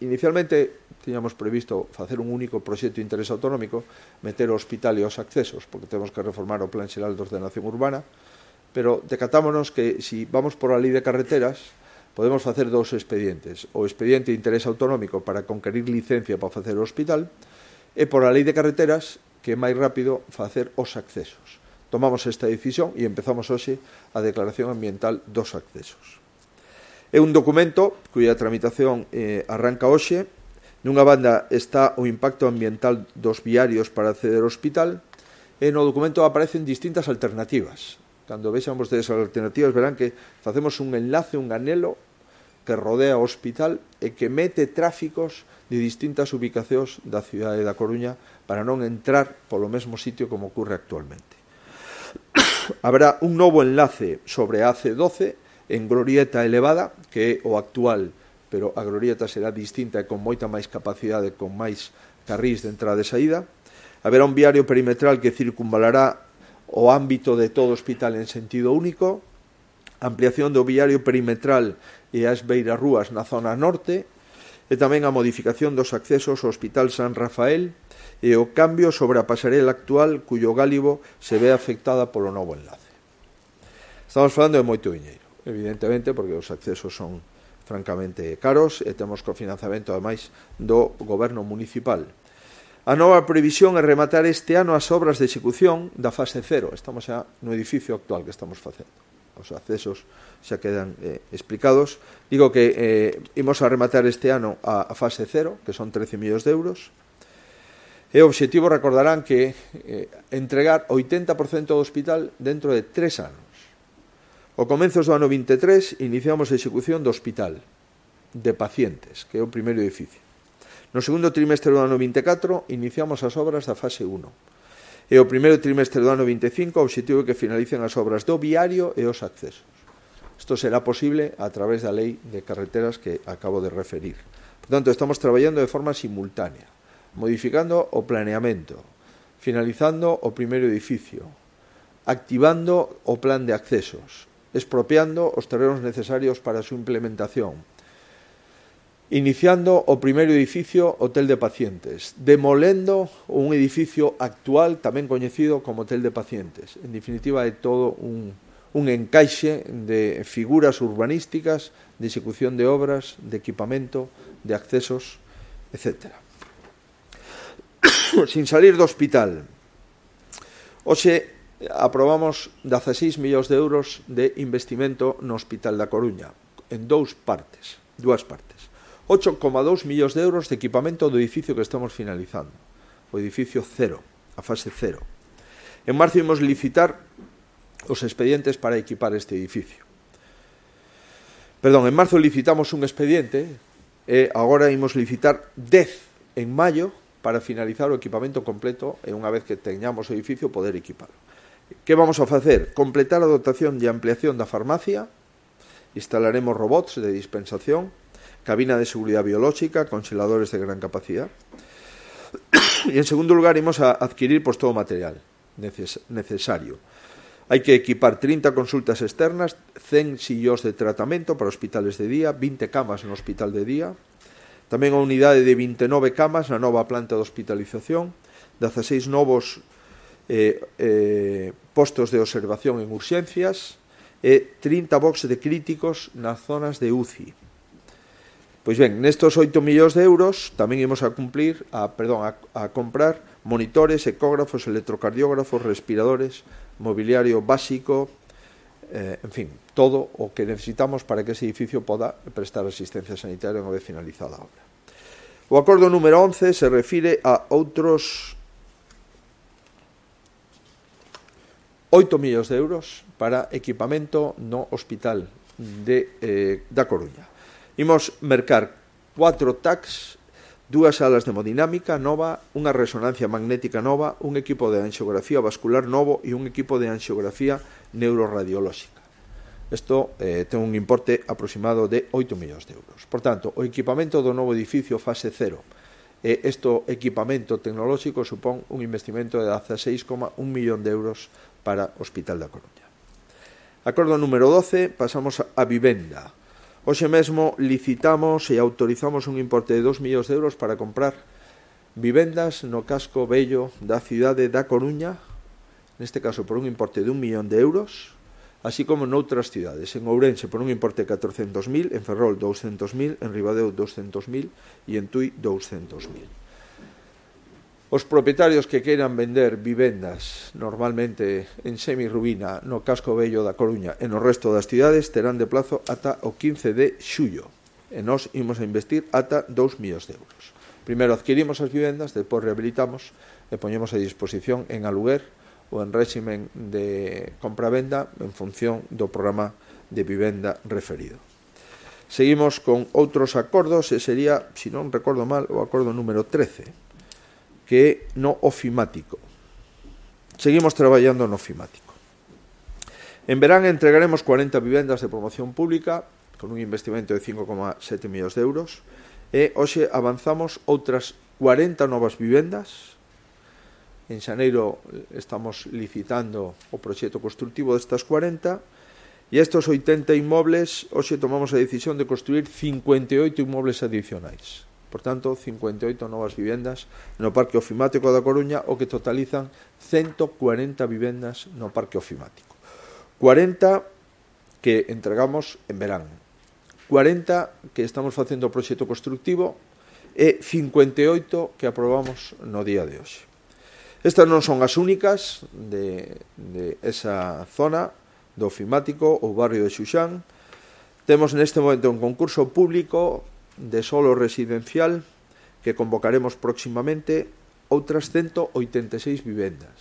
inicialmente tiñamos previsto facer un único proxecto de interés autonómico, meter o hospital e os accesos, porque temos que reformar o Plan Xeral de Ordenación Urbana, pero decatámonos que, se vamos por a Lei de Carreteras, podemos facer dous expedientes. O expediente de interés autonómico para conquerir licencia para facer o hospital e por a Lei de Carreteras, que é máis rápido facer os accesos. Tomamos esta decisión e empezamos hoxe a declaración ambiental dos accesos. É un documento cuya tramitación arranca hoxe. Nunha banda está o impacto ambiental dos viarios para acceder ao hospital e no documento aparecen distintas alternativas. Cando vexan vostedes as alternativas verán que facemos un enlace, un anelo que rodea o hospital e que mete tráficos de distintas ubicacións da cidade da Coruña para non entrar polo mesmo sitio como ocurre actualmente. Haberá un novo enlace sobre a AC12 en glorieta elevada, que é o actual, pero a glorieta será distinta e con moita máis capacidade, con máis carrís de entrada e saída. Haberá un viario perimetral que circunvalará o ámbito de todo o hospital en sentido único, ampliación do viario perimetral e as beirarrúas na zona norte, e tamén a modificación dos accesos ao Hospital San Rafael e o cambio sobre a pasarela actual cuyo gálibo se ve afectada polo novo enlace. Estamos falando de moito diñeiro, evidentemente, porque os accesos son francamente caros e temos cofinanciamento, ademais, do goberno municipal. A nova previsión é rematar este ano as obras de execución da fase 0. Estamos xa no edificio actual que estamos facendo. Os accesos xa quedan explicados. Digo que imos a rematar este ano a fase 0, que son 13 millóns de euros. E o obxectivo, recordarán, que entregar 80% do hospital dentro de 3 anos. Ao comenzos do ano 23 iniciamos a execución do hospital de pacientes, que é o primeiro edificio. No segundo trimestre do ano 24 iniciamos as obras da fase 1. E o primeiro trimestre do ano 25 o obxectivo é que finalicen as obras do viario e os accesos. Isto será posible a través da Lei de Carreteras que acabo de referir. Por tanto, estamos traballando de forma simultánea, modificando o planeamento, finalizando o primeiro edificio, activando o plan de accesos, expropiando os terrenos necesarios para a súa implementación, iniciando o primeiro edificio hotel de pacientes, demolendo un edificio actual tamén coñecido como hotel de pacientes. En definitiva, é todo un encaixe de figuras urbanísticas, de execución de obras, de equipamento, de accesos, etc. Sin salir do hospital, hoxe aprobamos 16 millóns de euros de investimento no Hospital da Coruña, en dúas partes. 8,2 millóns de euros de equipamento do edificio que estamos finalizando, o edificio 0, a fase 0. En marzo imos licitar os expedientes para equipar este edificio. En marzo licitamos un expediente e agora imos licitar 10 en maio para finalizar o equipamento completo e unha vez que teñamos o edificio poder equiparlo. Que vamos a facer? Completar a dotación e ampliación da farmacia, instalaremos robots de dispensación, cabina de seguridad biolóxica, congeladores de gran capacidad. Y en segundo lugar, imos a adquirir todo o material necesario. Hai que equipar 30 consultas externas, 100 sillós de tratamento para hospitales de día, 20 camas no hospital de día, tamén a unidade de 29 camas na nova planta de hospitalización, 16 novos postos de observación en urxencias e 30 boxes de críticos nas zonas de UCI. Pois ben, nestos 8 millóns de euros tamén imos a comprar monitores, ecógrafos, electrocardiógrafos, respiradores, mobiliario básico, en fin, todo o que necesitamos para que ese edificio poda prestar asistencia sanitaria unha vez finalizada a obra. O acordo número 11 se refire a outros 8 millóns de euros para equipamento no hospital da Coruña. Imos mercar 4 TACs, 2 salas de hemodinámica nova, unha resonancia magnética nova, un equipo de anxiografía vascular novo e un equipo de anxiografía neuroradiolóxica. Isto ten un importe aproximado de 8 millóns de euros. Por tanto, o equipamento do novo edificio fase 0 e este equipamento tecnolóxico supón un investimento de 16,1 millón de euros para o Hospital da Coruña. Acordo número 12, pasamos a vivenda. Hoxe mesmo licitamos e autorizamos un importe de 2 millóns de euros para comprar vivendas no casco vello da cidade da Coruña, neste caso por un importe de 1 millón de euros, así como noutras cidades, en Ourense por un importe de 400.000, en Ferrol 200.000, en Ribadeo 200.000 e en Tui 200.000. Os propietarios que queiran vender vivendas normalmente en semirruína no casco vello da Coruña e no resto das cidades terán de plazo ata o 15 de xullo e nós imos a investir ata 2 millóns de euros. Primeiro adquirimos as vivendas, depois rehabilitamos e poñemos a disposición en aluguer ou en réximen de compra-venda en función do programa de vivenda referido. Seguimos con outros acordos e sería, se non recordo mal, o acordo número 13, que no ofimático. Seguimos traballando no ofimático. En verán entregaremos 40 vivendas de promoción pública con un investimento de 5,7 millóns de euros e hoxe avanzamos outras 40 novas vivendas. En xaneiro estamos licitando o proxecto constructivo destas 40 e estes 80 inmobles hoxe tomamos a decisión de construir 58 inmobles adicionais. Por tanto, 58 novas vivendas no Parque Ofimático da Coruña, o que totalizan 140 vivendas no Parque Ofimático. 40 que entregamos en verán, 40 que estamos facendo o proxecto constructivo e 58 que aprobamos no día de hoxe. Estas non son as únicas de esa zona do Ofimático ou barrio de Xuxán. Temos neste momento un concurso público de solo residencial que convocaremos próximamente outras 186 vivendas.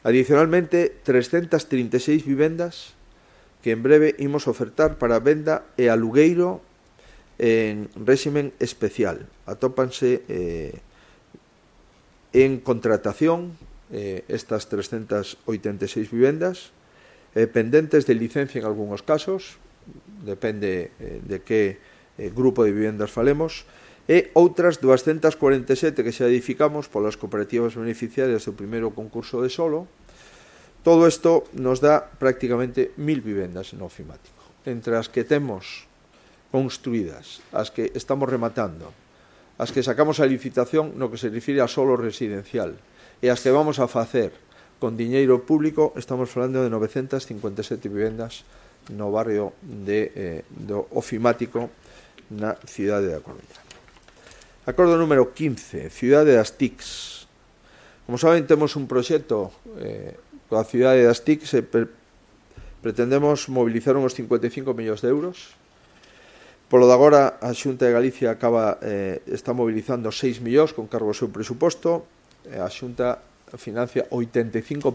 Adicionalmente, 336 vivendas que en breve imos ofertar para venda e alugueiro en réximen especial. Atópanse en contratación estas 386 vivendas pendentes de licencia en algúns casos, depende de que grupo de vivendas falemos, e outras 247 que xa edificamos polas cooperativas beneficiarias do primeiro concurso de solo. Todo isto nos dá prácticamente 1000 vivendas no ofimático. Entre as que temos construídas, as que estamos rematando, as que sacamos a licitación no que se refire a solo residencial e as que vamos a facer con diñeiro público, estamos falando de 957 vivendas no barrio do ofimático na cidade da Coruña. Acordo número 15, cidade das TICs. Como saben, temos un proxecto coa cidade das TICs e pretendemos mobilizar uns 55 millóns de euros. Polo de agora, a Xunta de Galicia está mobilizando 6 millóns con cargo ao seu presuposto e a Xunta financia 85%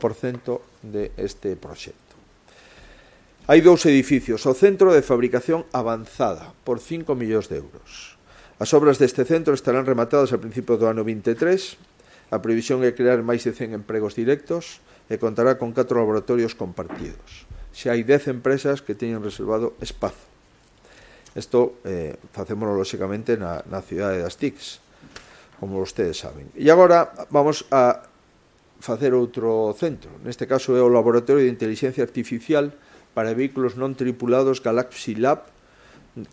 deste proxecto. Hai 2 edificios, o Centro de Fabricación Avanzada, por 5 millóns de euros. As obras deste centro estarán rematadas a principios do ano 23. A previsión é crear máis de 100 empregos directos e contará con 4 laboratorios compartidos. Xa hai 10 empresas que teñen reservado espazo. Isto facémoslo, lóxicamente, na cidade das TICs, como vostedes saben. E agora vamos a facer outro centro. Neste caso é o Laboratorio de Inteligencia Artificial para Vehículos Non Tripulados Galaxy Lab,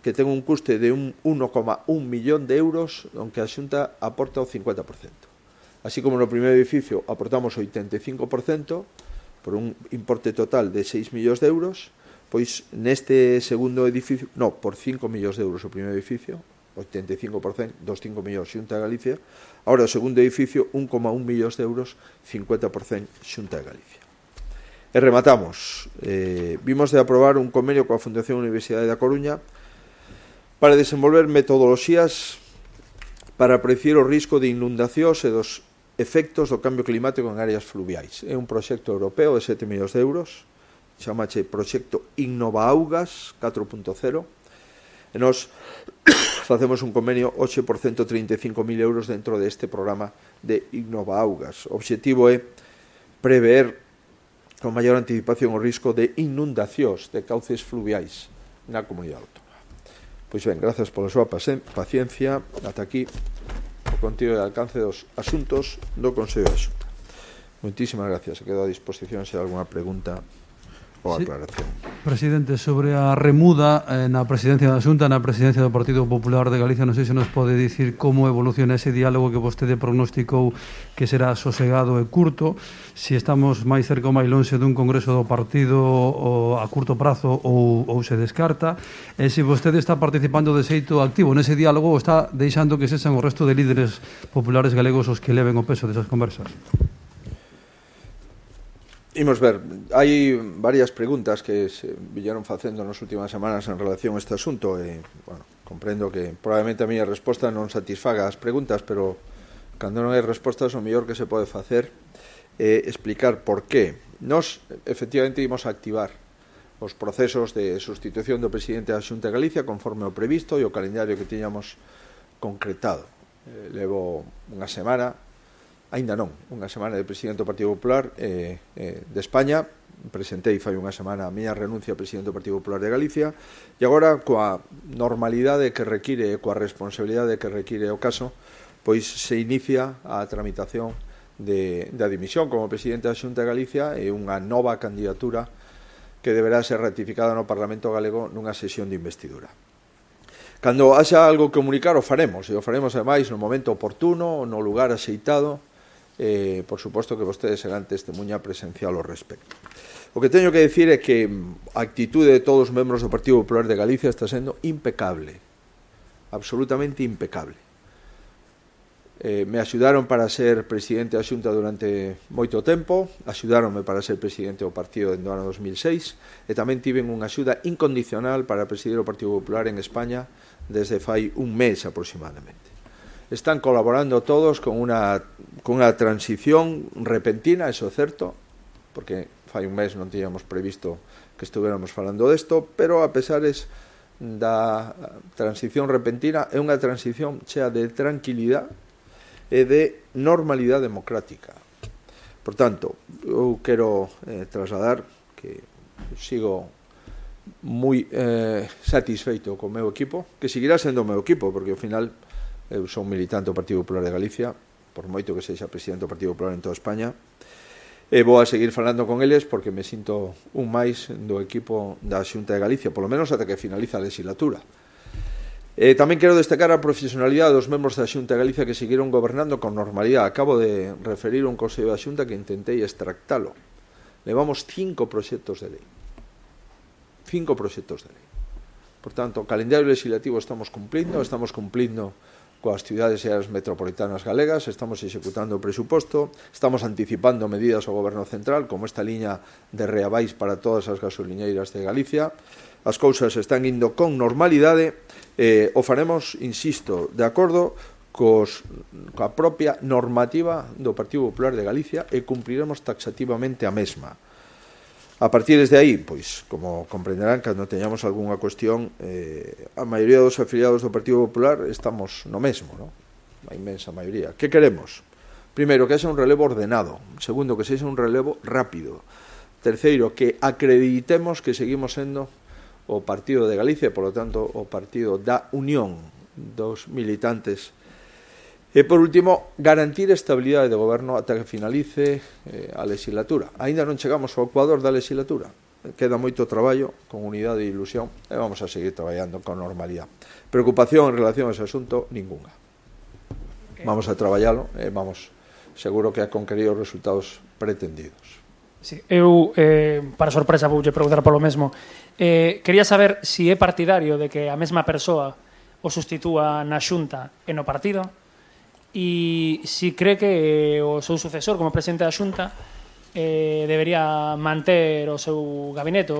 que ten un custe de 1,1 millón de euros, onde a Xunta aporta o 50%. Así como no primeiro edificio aportamos o 85%, por un importe total de 6 millóns de euros, pois neste segundo edificio, por 5 millóns de euros o primeiro edificio, 85% dos 5 millóns Xunta de Galicia. Ahora o segundo edificio, 1,1 millóns de euros, 50% Xunta de Galicia. E rematamos. Vimos de aprobar un convenio coa Fundación Universidade da Coruña para desenvolver metodoloxías para predecir o risco de inundacións e dos efectos do cambio climático en áreas fluviais. É un proxecto europeo de 7 millóns de euros, chamache Proxecto Innovaaugas 4.0, e nós facemos un convenio hoxe por 135.000 euros dentro deste programa de Innovaaugas. O obxectivo é prever con maior anticipación o risco de inundacións de cauces fluviais na comunidade autónoma. Pois ben, grazas pola súa paciencia. Ata aquí o contido e alcance dos asuntos do Consello da Xunta. Moitísimas gracias. Quedo a disposición se hai alguna pregunta ou aclaración. Presidente, sobre a remuda na presidencia da Xunta, na presidencia do Partido Popular de Galicia, non sei se nos pode dicir como evoluciona ese diálogo que vostede prognosticou que será sosegado e curto, se estamos máis cerca ou máis lonxe dun congreso do partido a curto prazo ou se descarta, e se vostede está participando de xeito activo nese diálogo ou está deixando que sexan o resto de líderes populares galegos os que leven o peso desas conversas. Imos ver, hai varias preguntas que se viñeron facendo nas últimas semanas en relación a este asunto e, bueno, comprendo que probablemente a miña resposta non satisfaga as preguntas, pero cando non hai respostas o mellor que se pode facer é explicar por qué. Nos, efectivamente, imos a activar os procesos de sustitución do presidente da Xunta de Galicia conforme o previsto e o calendario que tiñamos concretado. Levo unha semana, aínda non, unha semana de presidente do Partido Popular de España. Presentei fai unha semana a miña renuncia ao presidente do Partido Popular de Galicia e agora, coa normalidade que require e coa responsabilidade que require o caso, pois se inicia a tramitación da dimisión como presidente da Xunta de Galicia e unha nova candidatura que deberá ser ratificada no Parlamento galego nunha sesión de investidura. Cando haxa algo que comunicar, o faremos, e o faremos ademais no momento oportuno, no lugar axeitado. Por suposto que vostedes serán testemunha presencial ao respecto. O que teño que decir é que a actitude de todos os membros do Partido Popular de Galicia está sendo impecable, absolutamente impecable. Me axudaron para ser presidente da Xunta durante moito tempo, axudaronme para ser presidente do partido no ano 2006 e tamén tiven unha axuda incondicional para presidir o Partido Popular en España desde fai un mes aproximadamente. Están colaborando todos con unha transición repentina, eso é certo, porque fai un mes non tiñamos previsto que estuviéramos falando desto, pero a pesares da transición repentina é unha transición chea de tranquilidade e de normalidade democrática. Por tanto, eu quero trasladar que sigo moi satisfeito co meu equipo, que seguirá sendo o meu equipo, porque ao final eu son militante do Partido Popular de Galicia, por moito que sexa presidente do Partido Popular en toda España, e vou a seguir falando con eles porque me sinto un máis do equipo da Xunta de Galicia, polo menos ata que finaliza a legislatura. Tamén quero destacar a profesionalidade dos membros da Xunta de Galicia que seguiron gobernando con normalidade. Acabo de referir un Consello da Xunta que intentei extractalo. Levamos 5 proxectos de lei. 5 proxectos de lei. Por tanto, o calendario legislativo estamos cumplindo coas cidades e áreas metropolitanas galegas, estamos executando o presuposto, estamos anticipando medidas ao Goberno Central, como esta liña de reabais para todas as gasoliñeiras de Galicia. As cousas están indo con normalidade, o faremos, insisto, de acordo coa propia normativa do Partido Popular de Galicia e cumpriremos taxativamente a mesma. A partir de aí, pois, como comprenderán, cando teñamos algunha cuestión, a maioría dos afiliados do Partido Popular estamos no mesmo, non? A inmensa maioría. Que queremos? Primeiro, que haxa un relevo ordenado. Segundo, que sexa un relevo rápido. Terceiro, que acreditemos que seguimos sendo o Partido de Galicia e, polo tanto, o partido da unión dos militantes E, por último, garantir a estabilidade de goberno ata que finalice a legislatura. Ainda non chegamos ao ecuador da legislatura. Queda moito traballo, con unidade e ilusión, e vamos a seguir traballando con normalidade. Preocupación en relación a ese asunto, ninguna. Vamos a traballalo e vamos, seguro que a conquerir os resultados pretendidos. Sí, eu, para sorpresa, voulle preguntar polo mesmo. Quería saber se é partidario de que a mesma persoa o sustitúa na Xunta e no partido, e se cree que o seu sucesor como presidente da Xunta debería manter o seu gabinete,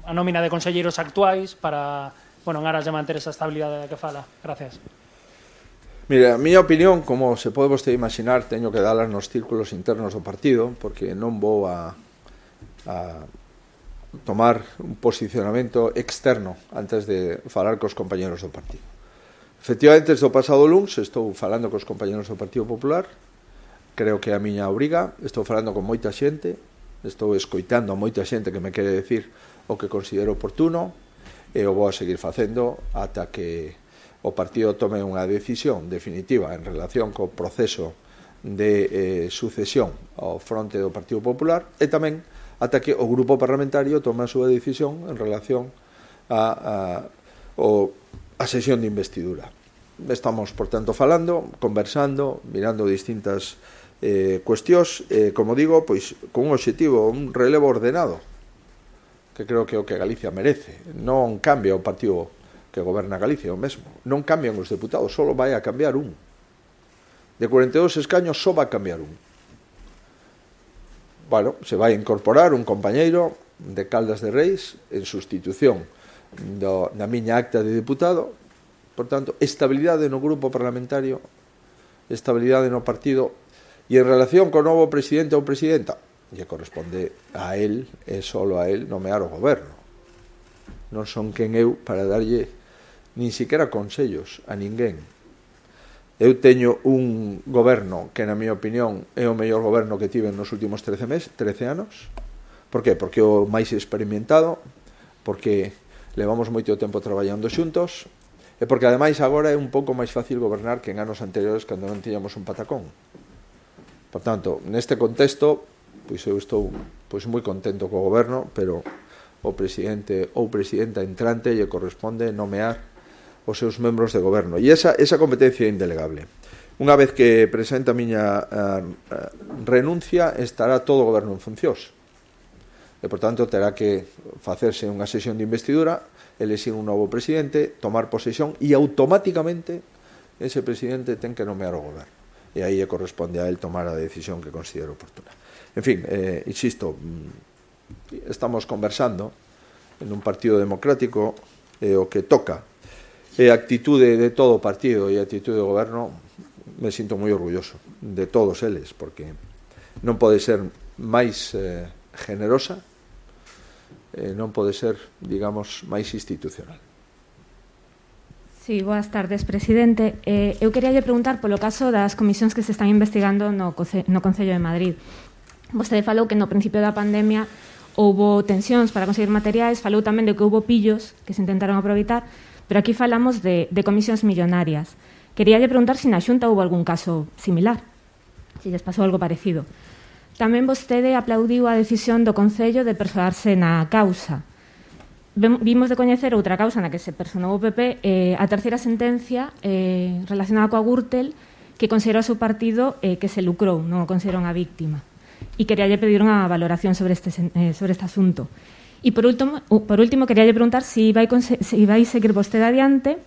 a nómina de conselleiros actuais para, bueno, en aras de manter esa estabilidade da que fala. Gracias. Mira, a miña opinión, como se pode vostede imaginar, teño que dalas nos círculos internos do partido, porque non vou a tomar un posicionamento externo antes de falar cos compañeros do partido. Efectivamente, desde o pasado luns estou falando cos compañeros do Partido Popular, creo que é a miña obriga, estou falando con moita xente, estou escoitando a moita xente que me quere decir o que considero oportuno, e o vou a seguir facendo ata que o partido tome unha decisión definitiva en relación co proceso de sucesión ao fronte do Partido Popular, e tamén ata que o grupo parlamentario tome a súa decisión en relación a sesión de investidura. Estamos, por tanto, falando, conversando, mirando distintas cuestións, como digo, pois con un obxectivo, un relevo ordenado, que creo que é o que Galicia merece. Non cambia o partido que goberna Galicia, o mesmo. Non cambian os deputados, só vai a cambiar un. De 42 escaños, só vai a cambiar un. Bueno, se vai a incorporar un compañeiro de Caldas de Reis en sustitución da miña acta de deputado. Por tanto, estabilidade no grupo parlamentario, estabilidade no partido, e en relación co novo presidente ou presidenta, lle corresponde a él, e solo a él, nomear o goberno. Non son quen eu para darlle nin siquiera consellos a ninguén. Eu teño un goberno que, na miña opinión, é o mellor goberno que tive nos últimos 13 anos. Por qué? Porque é o máis experimentado, porque levamos moito tempo traballando xuntos, e porque ademais agora é un pouco máis fácil gobernar que en anos anteriores cando non tiñamos un patacón. Por tanto, neste contexto, pois eu estou moi contento co goberno, pero o presidente ou presidenta entrante lle corresponde nomear os seus membros de goberno, e esa competencia é indelegable. Unha vez que presenta a miña renuncia, estará todo o goberno en funcións, e por tanto terá que facerse unha sesión de investidura, elexir un novo presidente, tomar posesión, e automáticamente ese presidente ten que nomear o goberno, e aí lle corresponde a él tomar a decisión que considero oportuna. En fin, insisto, estamos conversando en un partido democrático, o que toca e a actitude de todo o partido e a actitude do goberno, me sinto moi orgulloso de todos eles, porque non pode ser máis generosa, non pode ser, digamos, máis institucional. Sí, boas tardes, presidente. Eu quería lle preguntar polo caso das comisións que se están investigando no Concello de Madrid. Vostede falou que no principio da pandemia houbo tensións para conseguir materiais, falou tamén de que houbo pillos que se intentaron aproveitar, pero aquí falamos de comisións millonarias. Quería lle preguntar se na Xunta houbo algún caso similar, se lles pasou algo parecido. Tamén vostede aplaudiu a decisión do Concello de persoarse na causa. Vimos de coñecer outra causa na que se personou o PP, a terceira sentencia relacionada coa Gürtel, que considerou o seu partido que se lucrou, non o considerou unha víctima. E quería lle pedir unha valoración sobre este asunto. E por último quería lle preguntar se vai seguir vostede adiante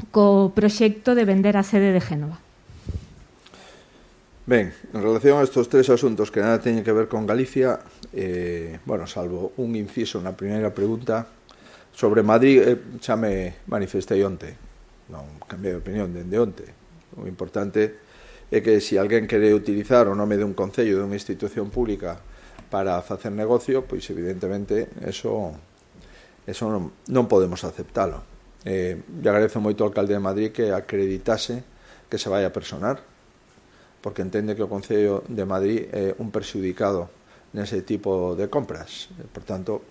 co proxecto de vender a sede de Génova. Ben, en relación a estes tres asuntos que nada teñen que ver con Galicia, salvo un inciso na primeira pregunta, sobre Madrid xa me manifestei onte, non cambiei de opinión dende onte. O importante é que se alguén quere utilizar o nome dun concello, dunha institución pública para facer negocio, pois evidentemente eso non podemos aceptalo. Lle agradezo moito ao alcalde de Madrid que acreditase que se vai a personar, porque entende que o Concello de Madrid é un perxudicado nese tipo de compras. Por tanto,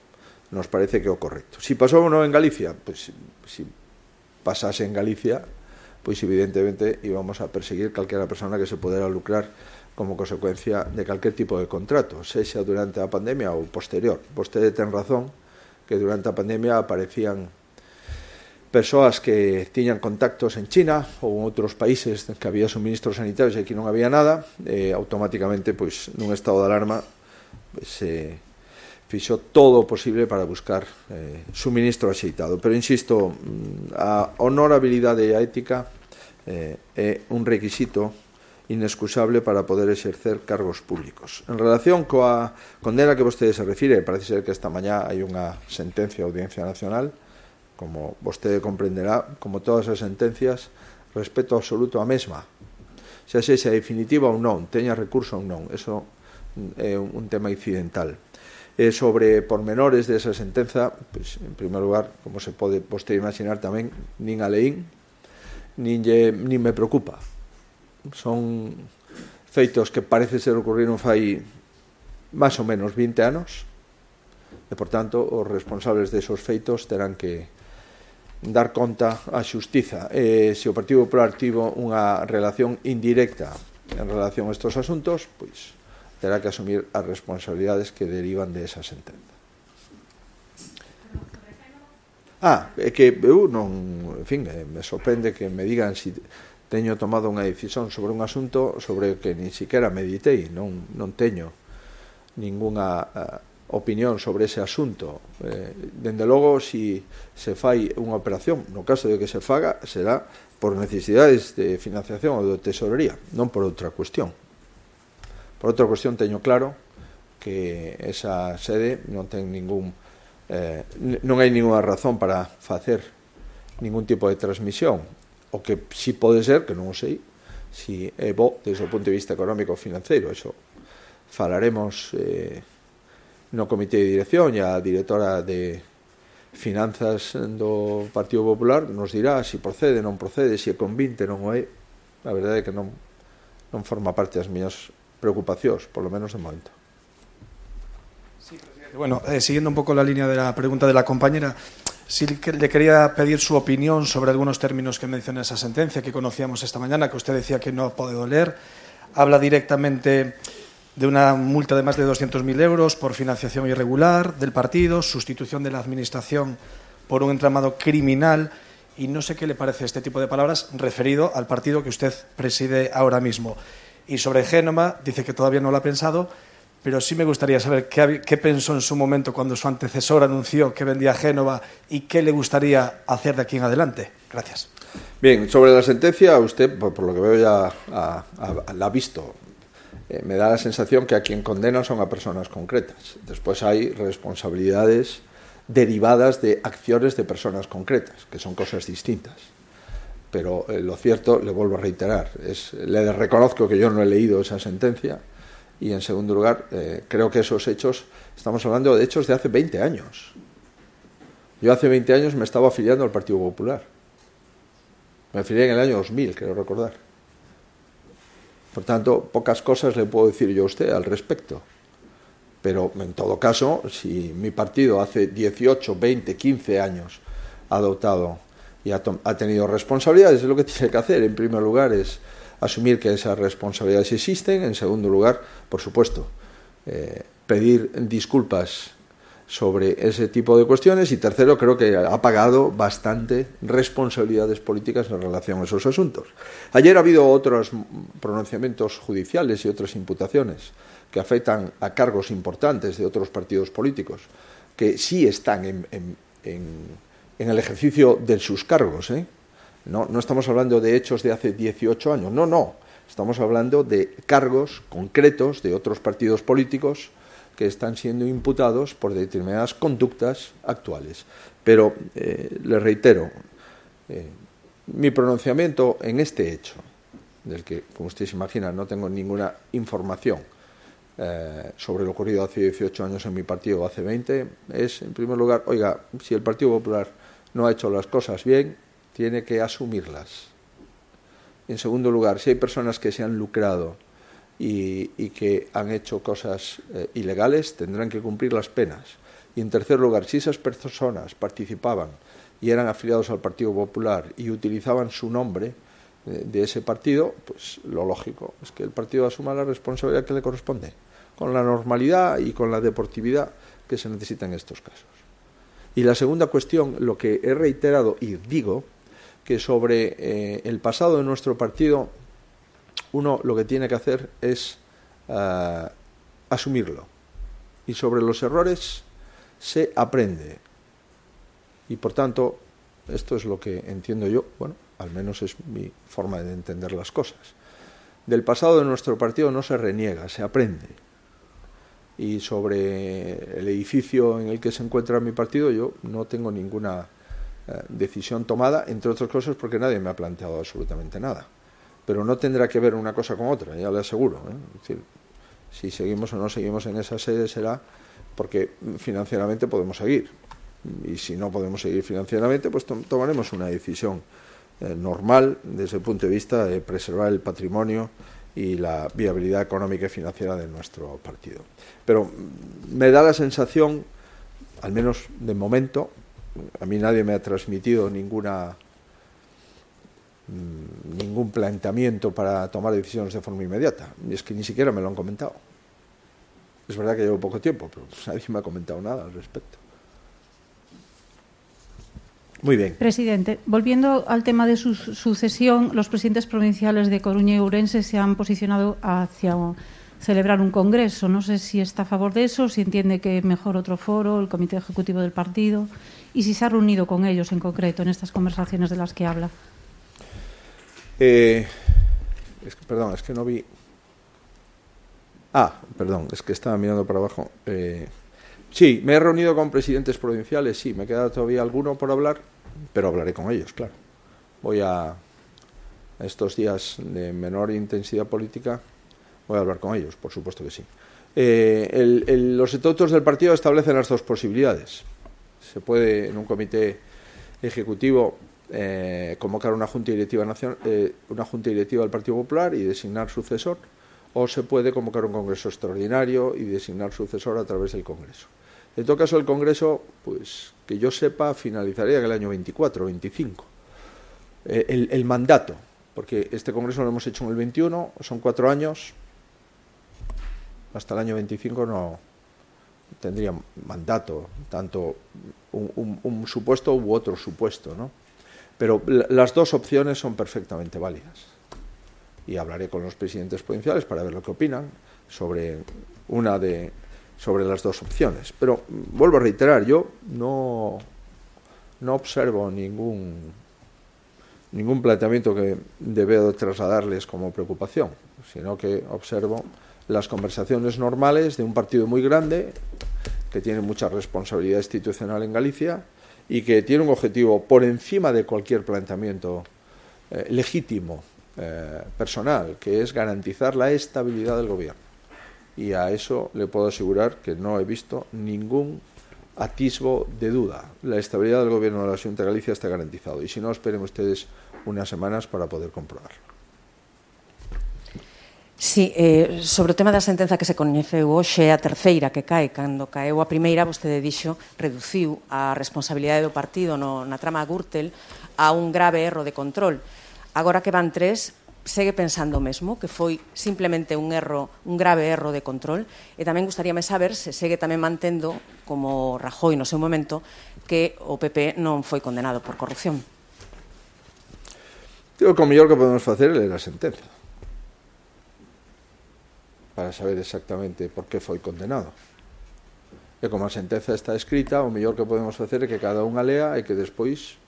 nos parece que é o correcto. Si pasou ou non en Galicia, pois si pasase en Galicia, pois evidentemente íbamos a perseguir calquera persona que se pudera lucrar como consecuencia de calquer tipo de contrato, sexa durante a pandemia ou posterior. Vostede ten razón que durante a pandemia aparecían persoas que tiñan contactos en China ou en outros países que había suministros sanitarios e aquí non había nada, automáticamente, pois, nun estado de alarma, se fixo todo o posible para buscar suministro axeitado. Pero, insisto, a honorabilidade e a ética é un requisito inexcusable para poder exercer cargos públicos. En relación coa condena que vostede se refire, parece ser que esta mañá hai unha sentencia da Audiencia Nacional. Como vostede comprenderá, como todas as sentencias, respeto absoluto a mesma. Xa sexa definitiva ou non, teña recurso ou non, eso é un tema incidental. Sobre pormenores desa sentenza, pues, en primer lugar, como se pode vostede imaginar tamén, nin a leín, nin me preocupa. Son feitos que parece ser ocurriron fai máis ou menos 20 anos, e, por tanto, os responsables desos feitos terán que dar conta á xustiza. Se o Partido Popular tivo unha relación indirecta en relación a estes asuntos, pois terá que asumir as responsabilidades que derivan de esa sentenza. É que eu non, en fin, me sorprende que me digan se teño tomado unha decisión sobre un asunto sobre o que ni siquiera meditei, non teño ningunha opinión sobre ese asunto. Dende logo, se fai unha operación, no caso de que se faga, será por necesidades de financiación ou de tesorería, non por outra cuestión. Por outra cuestión, teño claro que esa sede non ten non hai ninguna razón para facer ningún tipo de transmisión. O que si pode ser, que non o sei, si é bo desde o punto de vista económico ou financeiro. Eso falaremos no comité de dirección, e a directora de Finanzas do Partido Popular nos dirá se procede, non procede, se é convinte, non o é. A verdade é que non forma parte das miñas preocupacións, por lo menos de momento. Sí, presidente. Bueno, siguiendo un poco la línea de la pregunta de la compañera, sí que le quería pedir su opinión sobre algunos términos que menciona esa sentencia que conocíamos esta mañana, que usted decía que no ha podido leer. Habla directamente de una multa de más de 200.000 euros por financiación irregular del partido, sustitución de la administración por un entramado criminal, y no sé qué le parece este tipo de palabras referido al partido que usted preside ahora mismo. Y sobre Génova, dice que todavía no lo ha pensado, pero sí me gustaría saber qué pensó en su momento cuando su antecesor anunció que vendía Génova y qué le gustaría hacer de aquí en adelante. Gracias. Bien, sobre la sentencia, usted, por lo que veo ya la ha visto. Me da la sensación que a quien condenan son a personas concretas. Después hay responsabilidades derivadas de acciones de personas concretas, que son cosas distintas. Pero lo cierto, le vuelvo a reiterar, le reconozco que yo no he leído esa sentencia, y en segundo lugar, creo que esos hechos, estamos hablando de hechos de hace 20 años. Yo hace 20 años me estaba afiliando al Partido Popular. Me afilié en el año 2000, creo recordar. Por tanto, pocas cosas le puedo decir yo a usted al respecto. Pero, en todo caso, si mi partido hace 18, 20, 15 años ha adoptado y ha tenido responsabilidades, lo que tiene que hacer, en primer lugar, es asumir que esas responsabilidades existen. En segundo lugar, por supuesto, pedir disculpas sobre ese tipo de cuestiones. Y tercero, creo que ha pagado bastante responsabilidades políticas en relación a esos asuntos. Ayer ha habido otros pronunciamientos judiciales y otras imputaciones que afectan a cargos importantes de otros partidos políticos que sí están en el ejercicio de sus cargos. No estamos hablando de hechos de hace 18 años, no. Estamos hablando de cargos concretos de otros partidos políticos que están siendo imputados por determinadas conductas actuales. Pero, le reitero, mi pronunciamiento en este hecho, del que, como usted se imagina, no tengo ninguna información sobre lo ocurrido hace 18 años en mi partido o hace 20, es, en primer lugar, oiga, si el Partido Popular no ha hecho las cosas bien, tiene que asumirlas. En segundo lugar, si hay personas que se han lucrado y que han hecho cosas ilegales, tendrán que cumplir las penas. Y en tercer lugar, si esas personas participaban y eran afiliados al Partido Popular y utilizaban su nombre, de ese partido, pues lo lógico es que el partido asuma la responsabilidad que le corresponde, con la normalidad y con la deportividad que se necesita en estos casos. Y la segunda cuestión, lo que he reiterado y digo, que sobre el pasado de nuestro partido, uno lo que tiene que hacer es asumirlo. Y sobre los errores se aprende. Y por tanto, esto es lo que entiendo yo, bueno, al menos es mi forma de entender las cosas. Del pasado de nuestro partido no se reniega, se aprende. Y sobre el edificio en el que se encuentra mi partido, yo no tengo ninguna decisión tomada, entre otras cosas porque nadie me ha planteado absolutamente nada. Pero no tendrá que ver una cosa con otra, ya le aseguro. Es decir, si seguimos o no seguimos en esa sede será porque financieramente podemos seguir. Y si no podemos seguir financieramente, pues tomaremos una decisión normal desde el punto de vista de preservar el patrimonio y la viabilidad económica y financiera de nuestro partido. Pero me da la sensación, al menos de momento, a mí nadie me ha transmitido ningún planteamiento para tomar decisiones de forma inmediata, y es que ni siquiera me lo han comentado. Es verdad que llevo poco tiempo, pero nadie me ha comentado nada al respecto. Muy bien. Presidente, volviendo al tema de su sucesión, los presidentes provinciales de Coruña y Ourense se han posicionado hacia celebrar un congreso. No sé si está a favor de eso, si entiende que mejor otro foro, el comité ejecutivo del partido, y si se ha reunido con ellos en concreto en estas conversaciones de las que habla. Es que no vi. Perdón, es que estaba mirando para abajo. Sí, me he reunido con presidentes provinciales, sí, me queda todavía alguno por hablar, pero hablaré con ellos, claro. Voy a estos días de menor intensidad política, voy a hablar con ellos, por supuesto que sí. Los estatutos del partido establecen las dos posibilidades. Se puede, en un comité ejecutivo, convocar una junta directiva del Partido Popular y designar sucesor, o se puede convocar un congreso extraordinario y designar sucesor a través del congreso. En todo caso, el congreso, pues que yo sepa, finalizaría en el año 24 o 25. El mandato, porque este congreso lo hemos hecho en el 21, son 4 años, hasta el año 25 no tendría mandato, tanto un supuesto u otro supuesto, ¿no? Pero las dos opciones son perfectamente válidas. Y hablaré con los presidentes provinciales para ver lo que opinan sobre las dos opciones. Pero vuelvo a reiterar, yo no observo ningún planteamiento que deba trasladarles como preocupación, sino que observo las conversaciones normales de un partido muy grande que tiene mucha responsabilidad institucional en Galicia y que tiene un objetivo por encima de cualquier planteamiento legítimo, personal, que es garantizar la estabilidad del gobierno. Y a eso le puedo asegurar que no he visto ningún atisbo de duda. La estabilidad del gobierno de la Xunta de Galicia está garantizado. Y si no, esperen ustedes unas semanas para poder comprobarlo. Sí, sobre o tema da sentenza que se coñeceu hoxe, a terceira que cae, cando caeu a primeira, vostede dixo, reduciu a responsabilidade do partido na trama Gürtel a un grave erro de control. Agora que van 3, segue pensando o mesmo, que foi simplemente un grave erro de control, e tamén gustaríame saber se segue tamén mantendo, como Rajoy no seu momento, que o PP non foi condenado por corrupción. Digo que o mellor que podemos facer é ler a sentenza para saber exactamente por que foi condenado. E como a sentenza está escrita, o mellor que podemos facer é que cada unha lea e que despois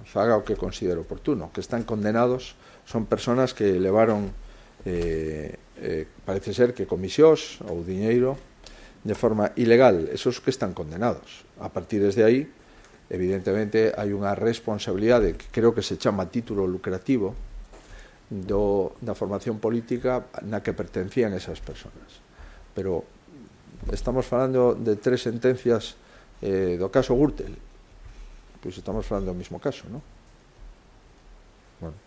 faga o que considere oportuno. Que están condenados son personas que levaron parece ser que comisións ou diñeiro de forma ilegal, esos que están condenados. A partir desde aí, evidentemente, hai unha responsabilidade que creo que se chama título lucrativo da formación política na que pertencían esas personas. Pero estamos falando de 3 sentencias do caso Gürtel. Pois estamos falando do mismo caso, non? Bueno,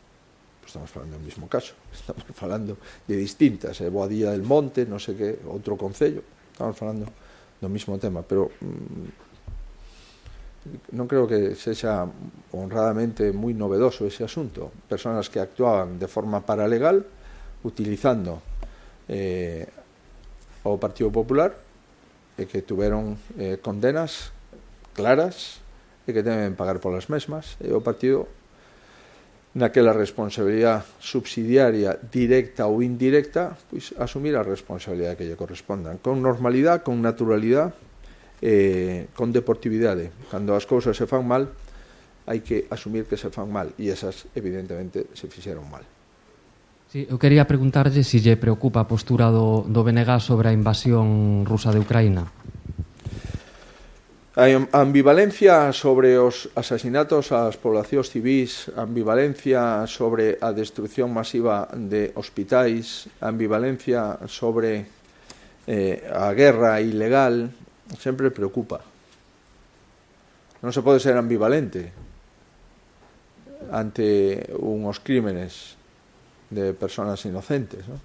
pues estamos falando do mismo caso. Estamos falando de distintas, Boadilla del Monte, non sei que, outro concello. Estamos falando do mismo tema, pero non creo que sexa honradamente moi novedoso ese asunto. Personas que actuaban de forma paralegal utilizando o Partido Popular e que tuveron condenas claras e que deben pagar polas mesmas, e o partido naquela responsabilidade subsidiaria directa ou indirecta, pois asumir a responsabilidade que lle correspondan con normalidade, con naturalidade, con deportividade. Cando as cousas se fan mal, hai que asumir que se fan mal, e esas evidentemente se fixeron mal. Sí, eu quería preguntarlle se lle preocupa a postura do BNG sobre a invasión rusa de Ucraína. A ambivalencia sobre os asasinatos ás poblacións civis, a ambivalencia sobre a destrucción masiva de hospitais, a ambivalencia sobre a guerra ilegal, sempre preocupa. Non se pode ser ambivalente ante unhos crímenes de personas inocentes, non?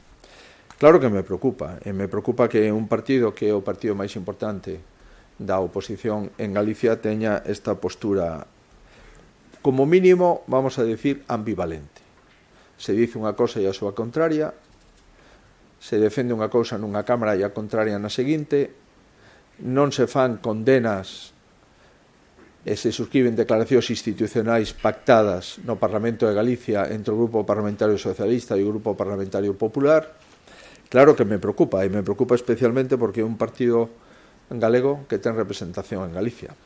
Claro que me preocupa, e me preocupa que un partido que é o partido máis importante da oposición en Galicia teña esta postura, como mínimo, vamos a decir, ambivalente. Se dice unha cousa e a súa contraria, se defende unha cousa nunha cámara e a contraria na seguinte, non se fan condenas e se suscriben declaracións institucionais pactadas no Parlamento de Galicia entre o Grupo Parlamentario Socialista e o Grupo Parlamentario Popular. Claro que me preocupa, e me preocupa especialmente porque é un partido galego que ten representación en Galicia.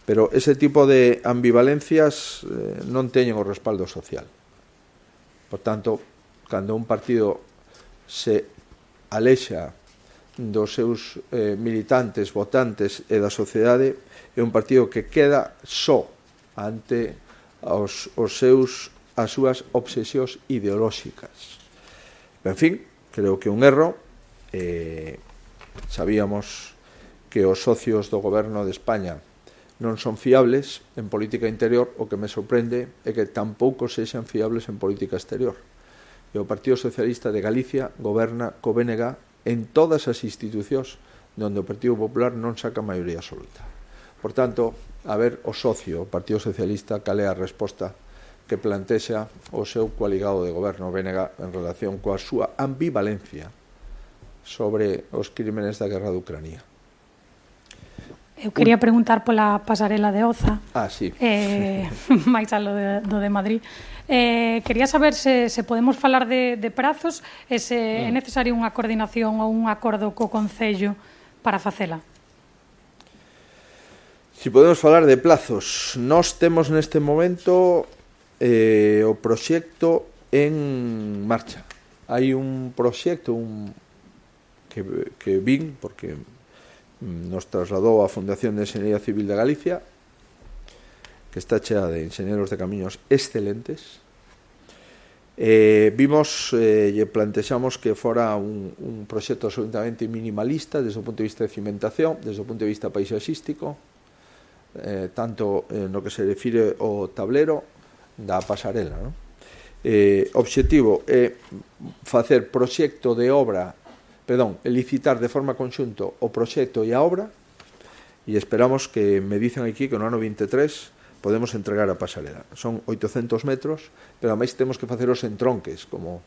Pero ese tipo de ambivalencias non teñen o respaldo social. Por tanto, cando un partido se alexa dos seus militantes, votantes e da sociedade, é un partido que queda só ante as súas obsesións ideolóxicas. En fin, creo que un erro. Sabíamos que os socios do goberno de España non son fiables en política interior, o que me sorprende é que tampouco sexan fiables en política exterior. E o Partido Socialista de Galicia goberna co BNG en todas as institucións onde o Partido Popular non saca maioría absoluta. Por tanto, a ver o socio, o Partido Socialista, cal é a resposta que plantexa o seu coaligado de goberno BNG en relación coa súa ambivalencia sobre os crímenes da guerra de Ucrania. Eu quería preguntar pola pasarela de Oza. Sí. máis alo do de Madrid. Quería saber se podemos falar de prazos e se é necesaria unha coordinación ou un acordo co Concello para facela. Si podemos falar de plazos, nós temos neste momento o proxecto en marcha. Hai un proxecto que vin, porque nos trasladou a Fundación de Enxeñería Civil de Galicia, que está chea de enxeñeros de camiños excelentes. Vimos e plantexamos que fora un proxecto absolutamente minimalista desde o punto de vista de cimentación, desde o punto de vista paisaxístico, tanto no que se refire ao tablero da pasarela, non? Obxectivo é facer proxecto de obra, licitar de forma conxunto o proxecto e a obra, e esperamos que me dicen aquí que no ano 23 podemos entregar a pasarela. Son 800 metros, pero ademais temos que facer os entronques, como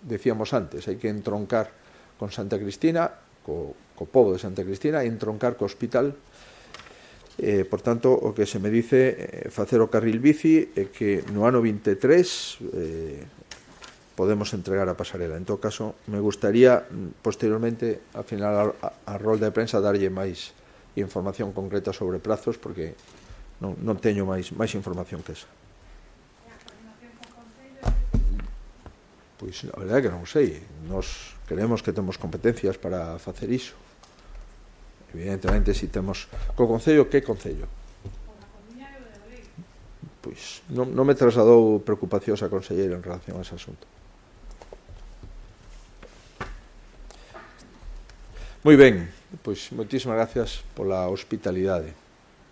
decíamos antes, hai que entroncar con Santa Cristina, co pobo de Santa Cristina, e entroncar co hospital. Por tanto, o que se me dice facer o carril bici é que no ano 23 podemos entregar a pasarela. En todo caso, me gustaría posteriormente, al final a rol de prensa, darlle máis información concreta sobre prazos, porque non teño máis información que esa. Pois a verdade é que non sei. Nós creemos que temos competencias para facer iso. Evidentemente, si temos co Concello, que Concello? Pois non me trasladou preocupacións a conselleira en relación a ese asunto. Moi ben, pois moitísimas gracias pola hospitalidade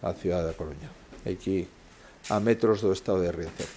á cidade da Coruña, aquí a metros do estado de Riazor.